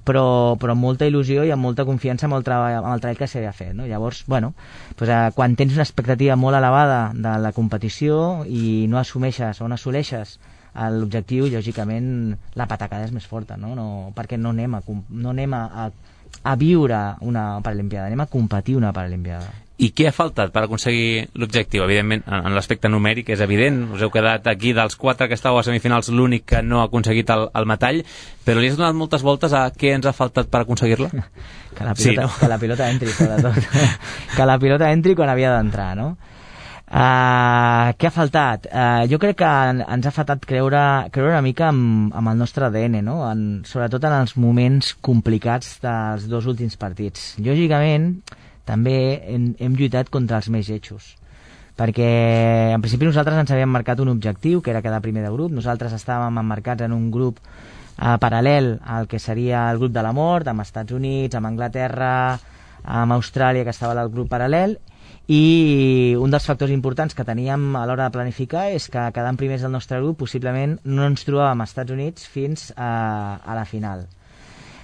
però amb molta il·lusió i amb molta confiança amb el treball que s'havia fet, no? Llavors, quan tens una expectativa molt elevada de la competició i no assumeixes o no assoleixes l'objectiu, lògicament la patacada és més forta, no? Perquè no anem a viure una Paralimpiada, anem a competir una Paralimpiada. I què ha faltat per aconseguir l'objectiu? Evidentment, en l'aspecte numèric és evident, us heu quedat aquí dels 4 que estàveu a semifinals l'únic que no ha aconseguit el metall, però li has donat moltes voltes a què ens ha faltat per aconseguir-la? Que la pilota entri, sobretot. Que la pilota entri quan havia d'entrar, no? Què ha faltat? Jo crec que ens ha faltat creure una mica amb el nostre ADN, no? Sobretot en els moments complicats dels 2 últims partits. Lògicament, també hem lluitat contra els més lletjos, perquè en principi nosaltres ens havíem marcat un objectiu, que era quedar primer de grup. Nosaltres estàvem emmarcats en un grup paral·lel al que seria el grup de la mort, amb Estats Units, amb Anglaterra, amb Austràlia, que estava al grup paral·lel, i un dels factors importants que teníem a l'hora de planificar és que quedant primers del nostre grup possiblement no ens trobàvem als Estats Units fins a la final.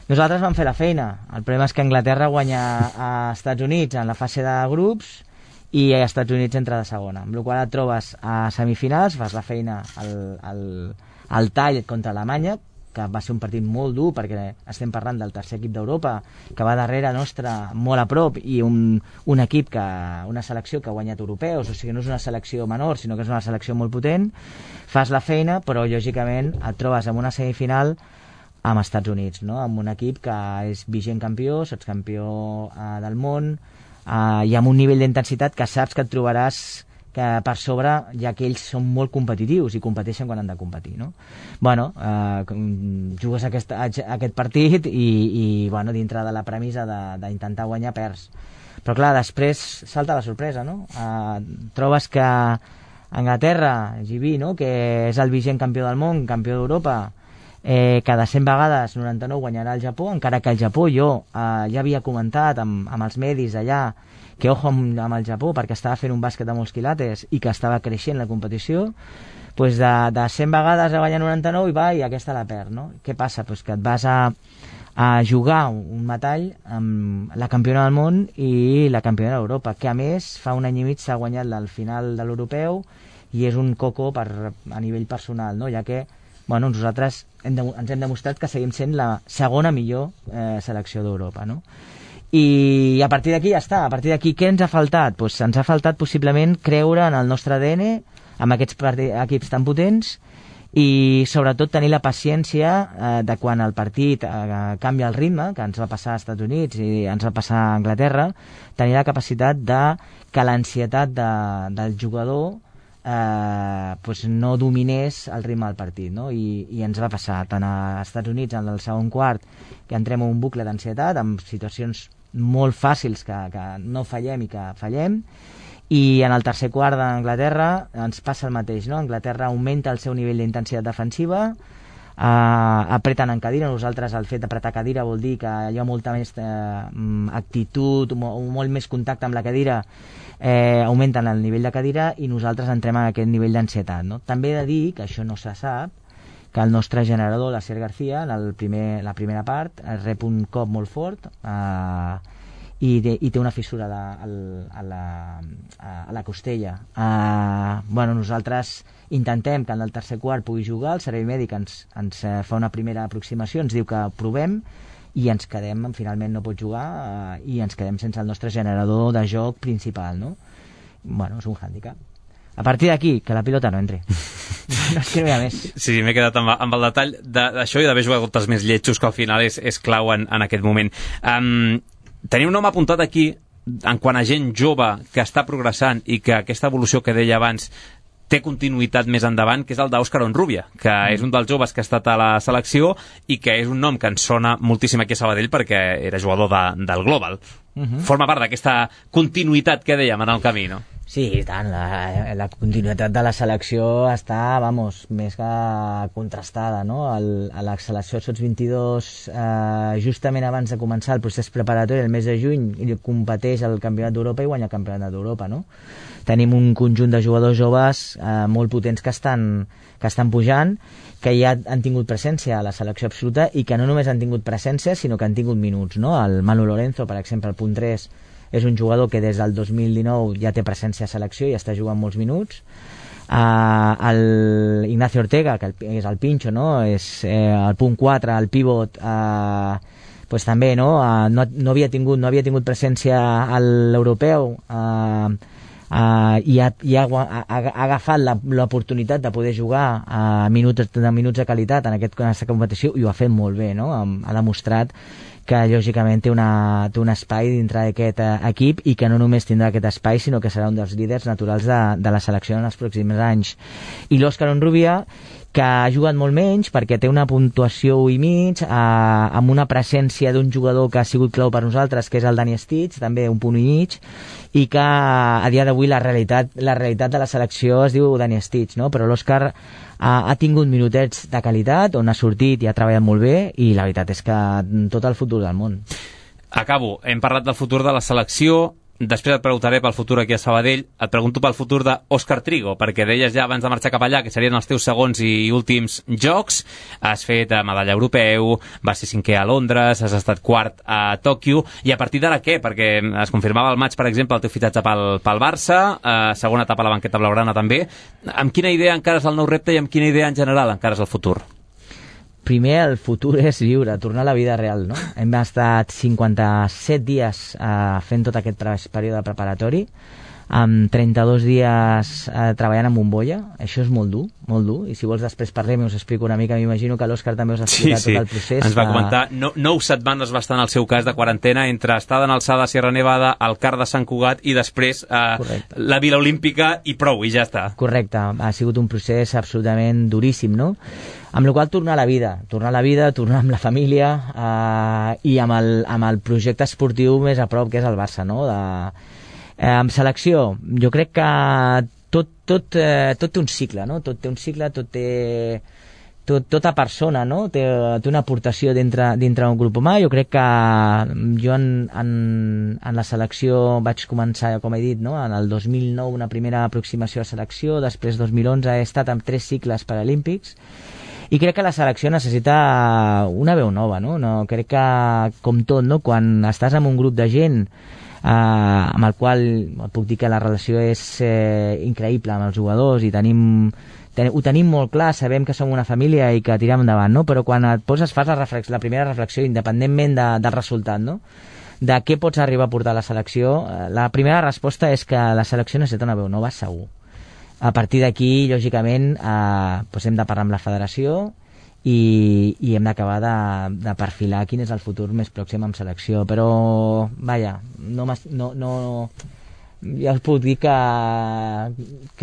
Nosaltres vam fer la feina, el problema és que Anglaterra guanya a Estats Units en la fase de grups i a Estats Units entra de segona, amb la qual cosa et trobes a semifinals, fas la feina al tall contra Alemanya, que va ser un partit molt dur perquè estem parlant del tercer equip d'Europa que va darrere nostra molt a prop, i un equip una selecció que ha guanyat europeus, o sigui, no és una selecció menor sinó que és una selecció molt potent. Fas la feina, però lògicament et trobes en una semifinal amb Estats Units, no? Amb un equip que és vigent campió, campió del món, i amb un nivell d'intensitat que saps que et trobaràs que per sobre, ja que ells són molt competitius i competeixen quan han de competir, no? Jugues aquest partit i dintre de la premissa d'intentar guanyar, perds. Però clar, després salta la sorpresa, no? Trobes que Anglaterra, GB, no?, que és el vigent campió del món, campió d'Europa, cada 100 vegades 99 guanyarà el Japó, encara que el Japó jo ja havia comentat amb els medis allà que ojo amb el Japó perquè estava fent un bàsquet de molts quilates i que estava creixent la competició, doncs de 100 vegades a guanyar 99 i va, i aquesta la perd, no? Què passa? Doncs que et vas a jugar un metall amb la campiona del món i la campiona d'Europa, que a més fa un any i mig s'ha guanyat la final de l'europeu i és un coco a nivell personal, no? Ja que nosaltres ens hem demostrat que seguim sent la segona millor selecció d'Europa, no? I a partir d'aquí ja està. A partir d'aquí què ens ha faltat? Pues ens ha faltat possiblement creure en el nostre ADN, amb aquests equips tan potents, i sobretot tenir la paciència de quan el partit canvia el ritme, que ens va passar als Estats Units i ens va passar a Anglaterra, tenir la capacitat de que l'ansietat del jugador no dominés el ritme del partit, no? I ens va passar tant als Estats Units en el segon quart, que entrem en un bucle d'ansietat amb situacions molt fàcils que no fallem i que fallem, i en el tercer quart d'Anglaterra ens passa el mateix, no? Anglaterra augmenta el seu nivell d'intensitat defensiva, apreten en cadira. Nosaltres el fet d'apretar cadira vol dir que hi ha molta més actitud, molt més contacte amb la cadira, augmenten el nivell de cadira i nosaltres entrem en aquest nivell d'ansietat, no? També he de dir que això no se sap, que el nostre generador, l'Asier García, en la primera part rep un cop molt fort i té una fissura a la costella. Nosaltres intentem que en el tercer quart pugui jugar, el servei mèdic ens fa una primera aproximació, ens diu que provem, i ens quedem, finalment no pot jugar, i ens quedem sense el nostre generador de joc principal, no? És un hàndicap. A partir d'aquí, que la pilota no entri. No es creu més. Sí, m'he quedat amb el detall d'això i d'haver jugat contra els més lletjos, que al final és clau en aquest moment. Teniu un nom apuntat aquí en quant a gent jove que està progressant i que aquesta evolució que deia abans té continuïtat més endavant, que és el d'Òscar Honrubia, que és un dels joves que ha estat a la selecció i que és un nom que ens sona moltíssim aquí a Sabadell perquè era jugador del Global. Forma part d'aquesta continuïtat que dèiem en el camí, no? Sí, i tant, la continuïtat de la selecció està, més que contrastada, no? A la selecció Sots 22, justament abans de començar el procés preparatori, el mes de juny, competeix al Campionat d'Europa i guanya el Campionat d'Europa, no? Tenim un conjunt de jugadors joves molt potents que estan pujant, que ja han tingut presència a la selecció absoluta i que no només han tingut presència, sinó que han tingut minuts, no? El Manu Lorenzo, per exemple, el punt 3, és un jugador que des del 2019 ja té presència a selecció i està jugant molts minuts. El Ignacio Ortega, que és el pinxo, no? És el punt 4, el pivot, també no havia tingut presència a l'europeu, i ha agafat l'oportunitat de poder jugar minuts de qualitat en aquesta competició i ho ha fet molt bé, no? Ha demostrat que lògicament té un espai dintre d'aquest equip i que no només tindrà aquest espai sinó que serà un dels líders naturals de la selecció en els pròxims anys. I l'Òscar Honrubia, que ha jugat molt menys perquè té una puntuació 1,5, amb una presència d'un jugador que ha sigut clau per nosaltres, que és el Dani Stitch, també 1,5 punt, i que a dia d'avui la realitat de la selecció es diu Dani Stitch, no? Però l'Òscar ha tingut minutets de qualitat, on ha sortit i ha treballat molt bé, i la veritat és que tot el futur del món. Acabo. Hem parlat del futur de la selecció, després et preguntaré pel futur aquí a Sabadell, et pregunto pel futur d'Òscar Trigo, perquè deies ja abans de marxar cap allà que serien els teus segons i últims jocs, has fet medalla europeu, vas ser 5è a Londres, has estat 4 a Tòquio, i a partir d'ara què? Perquè es confirmava al maig, per exemple, el teu fitatge pel Barça, segona etapa a la banqueta blaugrana també. Amb quina idea encares el nou repte i amb quina idea en general encares el futur? Primer, el futur és viure, tornar a la vida real, no? Hem estat 57 dies fent tot aquest període preparatori, amb 32 dies treballant amb bombolla. Això és molt dur, i si vols després parlem i us explico una mica. M'imagino que l'Òscar també us ha explicat tot el procés. Ens va comentar 9 setmanes va estar en el seu cas de quarantena entre estada en alçada a Sierra Nevada, al Car de Sant Cugat i després la Vila Olímpica i prou, i ja està. Correcte, ha sigut un procés absolutament duríssim, no? Amb la qual tornar a la vida, tornar amb la família i amb el projecte esportiu més a prop, que és el Barça, no? Amb selecció, jo crec que tot té un cicle, no? Tot té un cicle, tota persona, no? Té una aportació dintre d'un grup humà. Jo crec que jo en la selecció vaig començar, com he dit, no? En el 2009 una primera aproximació a selecció, després 2011 he estat en 3 cicles paralímpics, i crec que la selecció necessita una veu nova, no? Crec que, com tot, no? Quan estàs amb un grup de gent amb el qual puc dir que la relació és increïble amb els jugadors i ho tenim molt clar, sabem que som una família i que tirem endavant, no? Però quan et poses, fas la primera reflexió, independentment del resultat, no? De què pots arribar a portar a la selecció, la primera resposta és que la selecció necessita una veu nova, segur. A partir d'aquí, lògicament, hem de parlar amb la federació i hem d'acabar de perfilar quin és el futur més pròxim amb selecció, però vaja, ja us puc dir que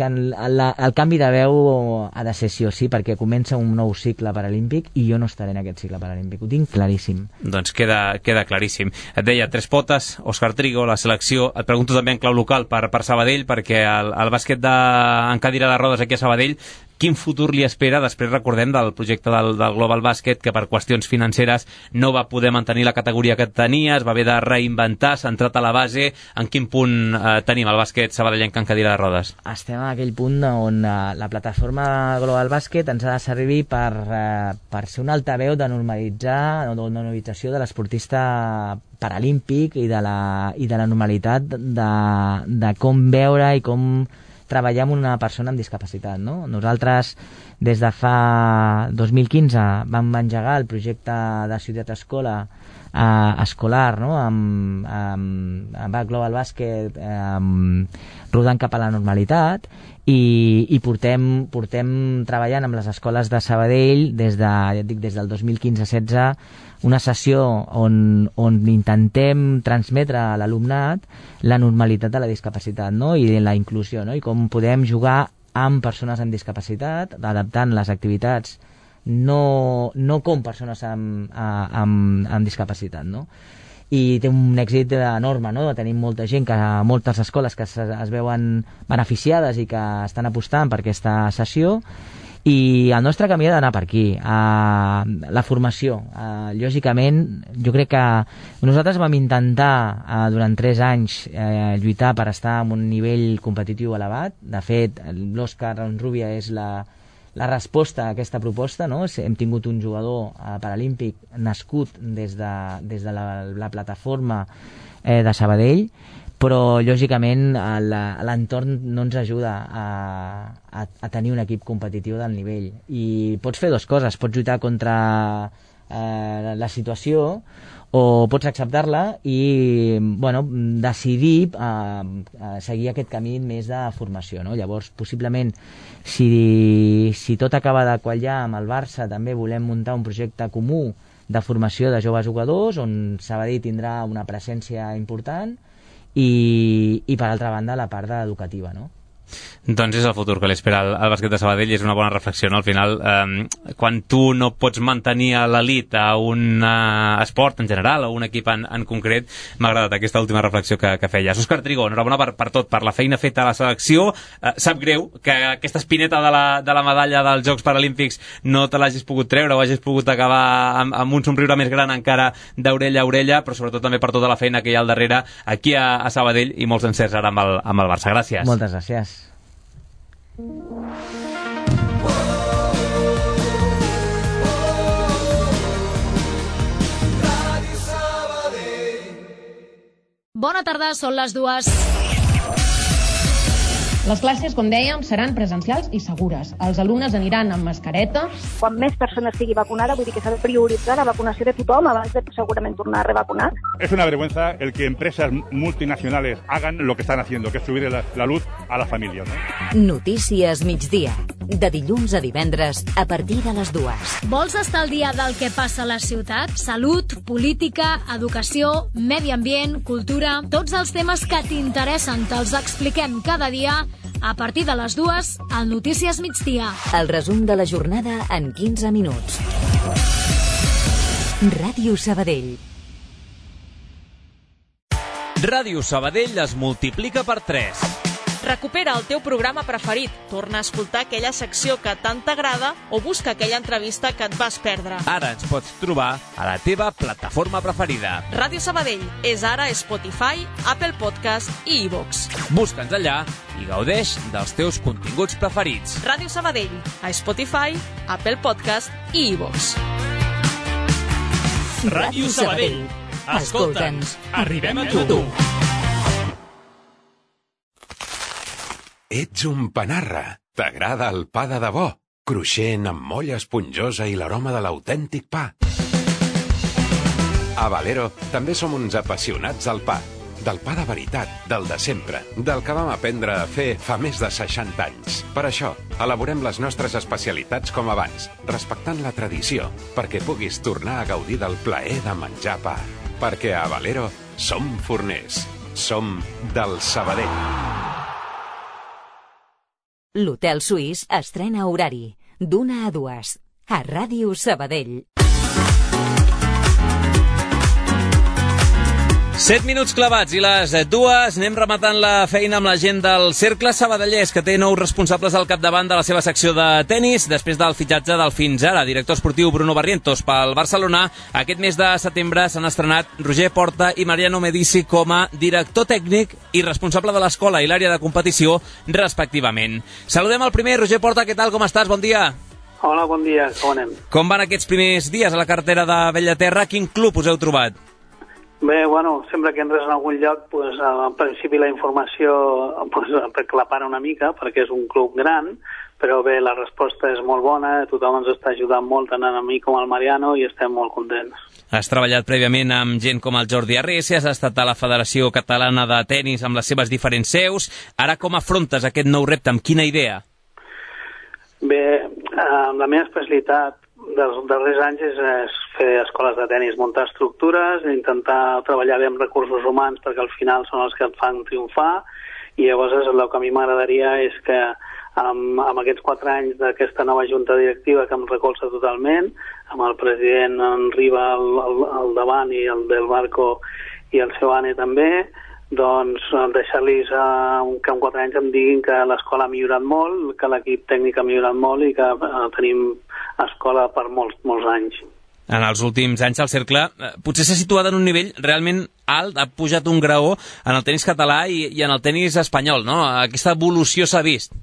el canvi de veu ha de ser sí o sí, perquè comença un nou cicle paralímpic i jo no estaré en aquest cicle paralímpic, ho tinc claríssim. Doncs queda claríssim. Et deia, Tres Potes, Òscar Trigo, la selecció. Et pregunto també en clau local per Sabadell, perquè el bàsquet en cadira de rodes aquí a Sabadell, quin futur li espera? Després recordem del projecte del Global Bàsquet, que per qüestions financeres no va poder mantenir la categoria que tenia, es va haver de reinventar, centrat a la base. En quin punt tenim el bàsquet sabadellenc en cadira de rodes? Estem en aquell punt on la plataforma Global Bàsquet ens ha de servir per ser un altaveu de normalització de l'esportista paralímpic i de la normalitat de com veure i com treballar amb una persona amb discapacitat, no? Nosaltres, des de fa 2015, vam engegar el projecte de Ciutat Escola escolar, no? amb Global Bàsquet rodant cap a la normalitat i portem treballant amb les escoles de Sabadell des del 2015-16 una sessió on intentem transmetre a l'alumnat la normalitat de la discapacitat, no? I de la inclusió, no? I com podem jugar amb persones amb discapacitat, adaptant les activitats no com persones amb discapacitat, no? I té un èxit enorme, no? Tenim molta gent, moltes escoles que es veuen beneficiades i que estan apostant per aquesta sessió, i el nostre camí ha d'anar per aquí, la formació. Lògicament, jo crec que nosaltres vam intentar durant 3 anys lluitar per estar en un nivell competitiu elevat. De fet, l'Òscar Rubia és la resposta a aquesta proposta, no? Hem tingut un jugador paralímpic nascut des de la plataforma de Sabadell, però lògicament l'entorn no ens ajuda a tenir un equip competitiu del nivell, i pots fer 2 coses: pots lluitar contra la situació o pots acceptar-la i decidir seguir aquest camí més de formació, no? Llavors, possiblement, si tot acaba de quallar amb el Barça, també volem muntar un projecte comú de formació de joves jugadors on Sabadell tindrà una presència important i per altra banda la part educativa, no? Doncs és el futur que li espera al bàsquet de Sabadell, i és una bona reflexió, no? Al final, quan tu no pots mantenir a l'elit a un esport en general o un equip en concret, m'ha agradat aquesta última reflexió que feies. Òscar Trigo, enhorabona per tot, per la feina feta a la selecció. Sap greu que aquesta espineta de la medalla dels Jocs Paralímpics no te l'hagis pogut treure o hagis pogut acabar amb un somriure més gran encara d'orella a orella, però sobretot també per tota la feina que hi ha al darrere aquí a Sabadell, i molts encerts ara amb el Barça. Gràcies. Moltes gràcies. Bona tarda, són les 2. Les classes, com dèiem, seran presencials i segures. Els alumnes aniran amb mascareta. Quan més persones sigui vacunada, vull dir que s'ha de prioritzar la vacunació de tothom abans de segurament tornar a revacunar. Es una vergüenza el que empresas multinacionales hagan lo que están haciendo, que es subir la luz a las familias, ¿no? Notícies migdia, de dilluns a divendres a partir de les 2. Vols estar al dia del que passa a la ciutat? Salut, política, educació, medi ambient, cultura... Tots els temes que t'interessen te'ls expliquem cada dia a partir de les 2 al Notícies migdia. El resum de la jornada en 15 minuts. Ràdio Sabadell. Ràdio Sabadell es multiplica per 3. Recupera el teu programa preferit, torna a escoltar aquella secció que tant t'agrada o busca aquella entrevista que et vas perdre. Ara ens pots trobar a la teva plataforma preferida. Ràdio Sabadell és ara a Spotify, Apple Podcast i iVoox. Busca'ns allà i gaudeix dels teus continguts preferits. Ràdio Sabadell, a Spotify, Apple Podcast i iVoox. Ràdio Sabadell. Escolta'ns, arribem a tu. Ets un panarra. T'agrada el pa de debò, cruixent amb molla esponjosa i l'aroma de l'autèntic pa. A Valero també som uns apassionats del pa. Del pa de veritat, del de sempre, del que vam aprendre a fer fa més de 60 anys. Per això, elaborem les nostres especialitats com abans, respectant la tradició, perquè puguis tornar a gaudir del plaer de menjar pa. Perquè a Valero som forners. Som del Sabadell. L'Hotel Suís estrena horari d'1 a 2 a Ràdio Sabadell. 7 minuts clavats i les 2 anem rematant la feina amb la gent del Cercle Sabadellès, que té nous responsables al capdavant de la seva secció de tennis després del fitxatge del fins ara director esportiu Bruno Barrientos pel Barcelona. Aquest mes de setembre s'han estrenat Roger Porta i Mariano Medici com a director tècnic i responsable de l'escola i l'àrea de competició, respectivament. Saludem el primer. Roger Porta, què tal, com estàs? Bon dia. Hola, bon dia, com anem? Com van aquests primers dies a la cartera de Bellaterra? Quin club us heu trobat? Bé, bueno, sempre que entres en algun lloc, pues, en principi la informació pues, aclapara una mica, perquè és un club gran, però bé, la resposta és molt bona, tothom ens està ajudant molt, tant a mi com al Mariano, i estem molt contents. Has treballat prèviament amb gent com el Jordi Arrese, has estat a la Federació Catalana de Tenis amb les seves diferents seus. Ara com afrontes aquest nou repte? Amb quina idea? Bé, la meva especialitat dels darrers anys és fer escoles de tenis, muntar estructures, intentar treballar bé amb recursos humans perquè al final són els que et fan triomfar, i llavors el que a mi m'agradaria és que amb aquests 4 anys d'aquesta nova junta directiva que em recolza totalment, amb el president en Riba al davant i el del Barco i el seu Ane també, doncs deixar-los que en 4 anys em diguin que l'escola ha millorat molt, que l'equip tècnic ha millorat molt i que tenim escola per molts anys. En els últims anys el Cercle potser s'ha situat en un nivell realment alt, ha pujat un graó en el tenis català i en el tenis espanyol, no? Aquesta evolució s'ha vist.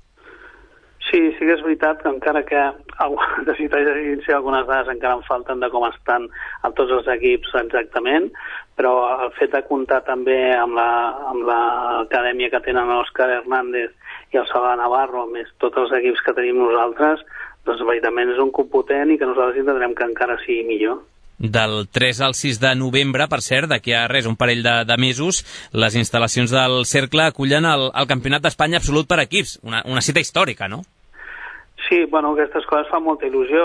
Sí que és veritat que encara que algunes dades encara em falten de com estan a tots els equips exactament, però el fet de comptar també amb l'acadèmia que tenen l'Òscar Hernández i el Salvador Navarro, més tots els equips que tenim nosaltres, doncs veritablement és un club potent i que nosaltres intentarem que encara sigui millor. Del 3 al 6 de novembre, per cert, d'aquí a res, un parell de mesos, les instal·lacions del Cercle acullen el Campionat d'Espanya absolut per equips, una cita històrica, no? Sí, bueno, aquestes coses fan molta il·lusió,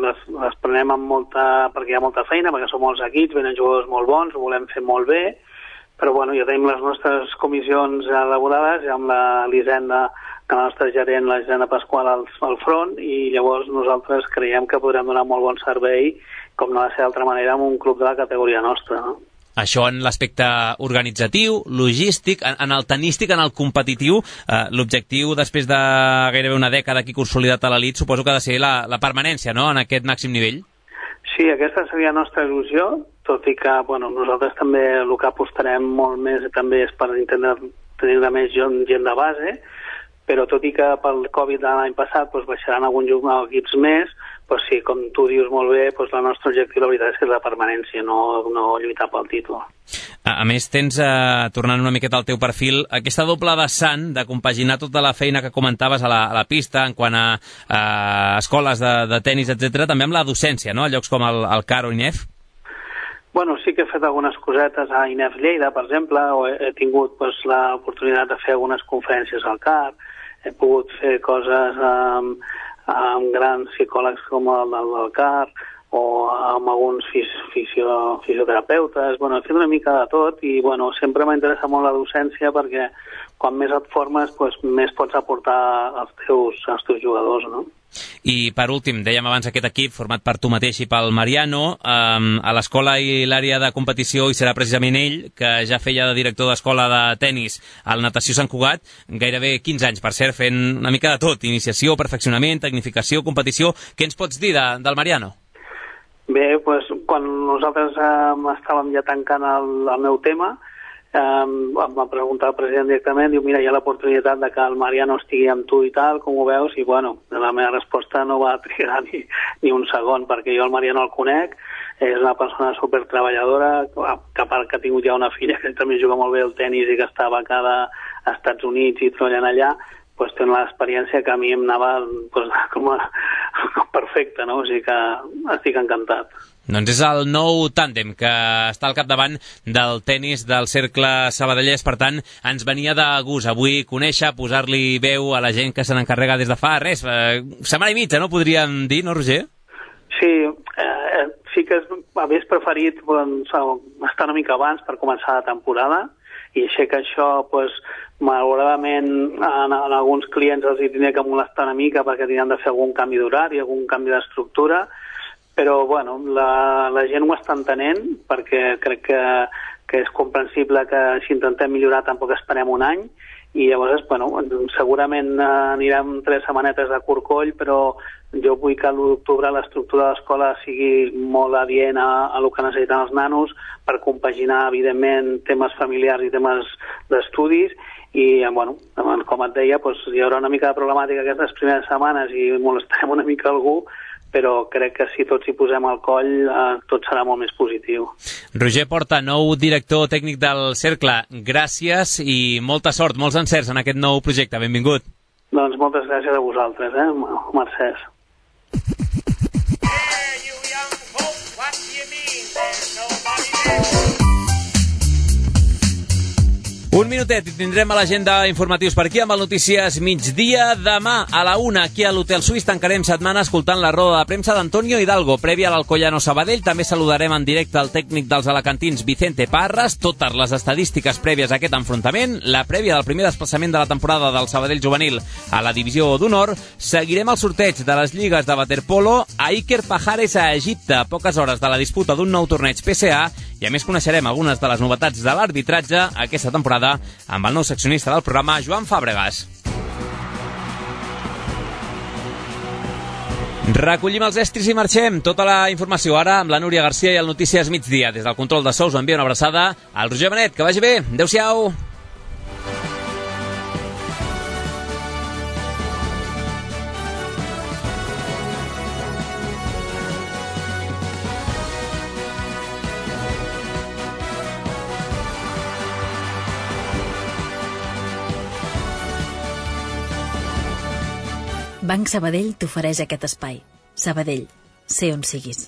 les prenem amb perquè hi ha molta feina, perquè són molts equips, venen jugadors molt bons, ho volem fer molt bé, però bueno, ja tenim les nostres comissions elaborades, ja amb l'Hisenda, que la nostra gerent, la Hisenda Pasqual, al front, i llavors nosaltres creiem que podrem donar molt bon servei, com no ha de ser d'altra manera, amb un club de la categoria nostra, no? Això en l'aspecte organitzatiu, logístic, en el tenístic, en el competitiu, l'objectiu després de gairebé una dècada aquí consolidat a l'elit, suposo que ha de ser la permanència, no?, en aquest màxim nivell. Sí, aquesta seria la nostra il·lusió, tot i que bueno, nosaltres també el que apostarem molt més també és per intentar tenir més gent de base, però tot i que pel Covid de l'any passat doncs, baixaran alguns equips més, doncs sí, com tu dius molt bé, doncs el nostre objectiu la veritat és que és la permanència, no lluitar pel títol. A més, tens, tornant una miqueta al teu perfil, aquesta doble vessant de compaginar tota la feina que comentaves a la pista en quant a escoles de tenis, etc., també amb la docència, no?, a llocs com el CAR o INEF. Bueno, sí que he fet algunes cosetes a INEF Lleida, per exemple, o he tingut l'oportunitat de fer algunes conferències al CAR, he pogut fer coses amb grans psicòlegs com el del CAR o amb alguns fisioterapeutes. Bueno, he fet una mica de tot i bueno, sempre m'ha interessat molt la docència perquè quan més et formes doncs, més pots aportar als teus jugadors, no? I per últim, dèiem abans aquest equip format per tu mateix i pel Mariano, a l'escola i l'àrea de competició hi serà precisament ell, que ja feia de director d'escola de tenis al Natació Sant Cugat, gairebé 15 anys, per cert, fent una mica de tot, iniciació, perfeccionament, tecnificació, competició. Què ens pots dir del Mariano? Bé, doncs, quan nosaltres estàvem ja tancant el meu tema, em va preguntar el president directament, diu, mira, hi ha l'oportunitat de que el Mariano estigui amb tu i tal, com ho veus? I bueno, la meva resposta no va trigar ni un segon, perquè jo el Mariano el conec, és una persona supertreballadora, que a part que ha tingut ja una filla que també juga molt bé el tenis i que està becada a Estats Units i treballant allà, doncs té una experiència que a mi em anava com perfecta, no? O sigui que estic encantat. Doncs és el nou tàndem que està al capdavant del tenis del Cercle Sabadellès, per tant, ens venia de gust avui conèixer, posar-li veu a la gent que se n'encarrega des de fa res, setmana i mitja, no podríem dir, no, Roger? Sí, sí que hagués preferit estar una mica abans per començar la temporada, i sé que això, malauradament, en alguns clients els hi tindria que molestar una mica perquè tindran de fer algun canvi d'horari, algun canvi d'estructura, però bueno, la gent ho està entenent, perquè crec que és comprensible que si intentem millorar tampoc esperem un any, i llavors, segurament anirem 3 setmanetes de corcoll, però jo vull que a l'1 d'octubre l'estructura de l'escola sigui molt adient a el que necessiten els nanos per compaginar, evidentment, temes familiars i temes d'estudis, i, com et deia, hi haurà una mica de problemàtica aquestes primeres setmanes i molestarem una mica algú, però crec que si tots hi posem al coll tot serà molt més positiu. Roger Porta, nou director tècnic del Cercle, gràcies i molta sort, molts encerts en aquest nou projecte. Benvingut. Doncs moltes gràcies a vosaltres, Mercès. Un minutet i tindrem a l'agenda informatius per aquí amb el Notícies Migdia. Demà a la 1 aquí a l'Hotel Suís tancarem setmana escoltant la roda de premsa d'Antonio Hidalgo prèvia a l'Alcoyano Sabadell. També saludarem en directe el tècnic dels alacantins Vicente Parras, totes les estadístiques prèvies a aquest enfrontament, la prèvia del primer desplaçament de la temporada del Sabadell juvenil a la divisió d'honor. Seguirem el sorteig de les lligues de waterpolo a Iker Pajares a Egipte a poques hores de la disputa d'un nou torneig PCA, i a més coneixerem algunes de les novetats de l'arbitratge aquesta temporada amb el nou seccionista del programa, Joan Fàbregas. Recollim els estris i marxem. Tota la informació ara amb la Núria Garcia i el Notícies Migdia. Des del control de so us envia una abraçada al Roger Benet. Que vagi bé. Adéu-siau. Banc Sabadell t'ofereix aquest espai. Sabadell, sé on siguis.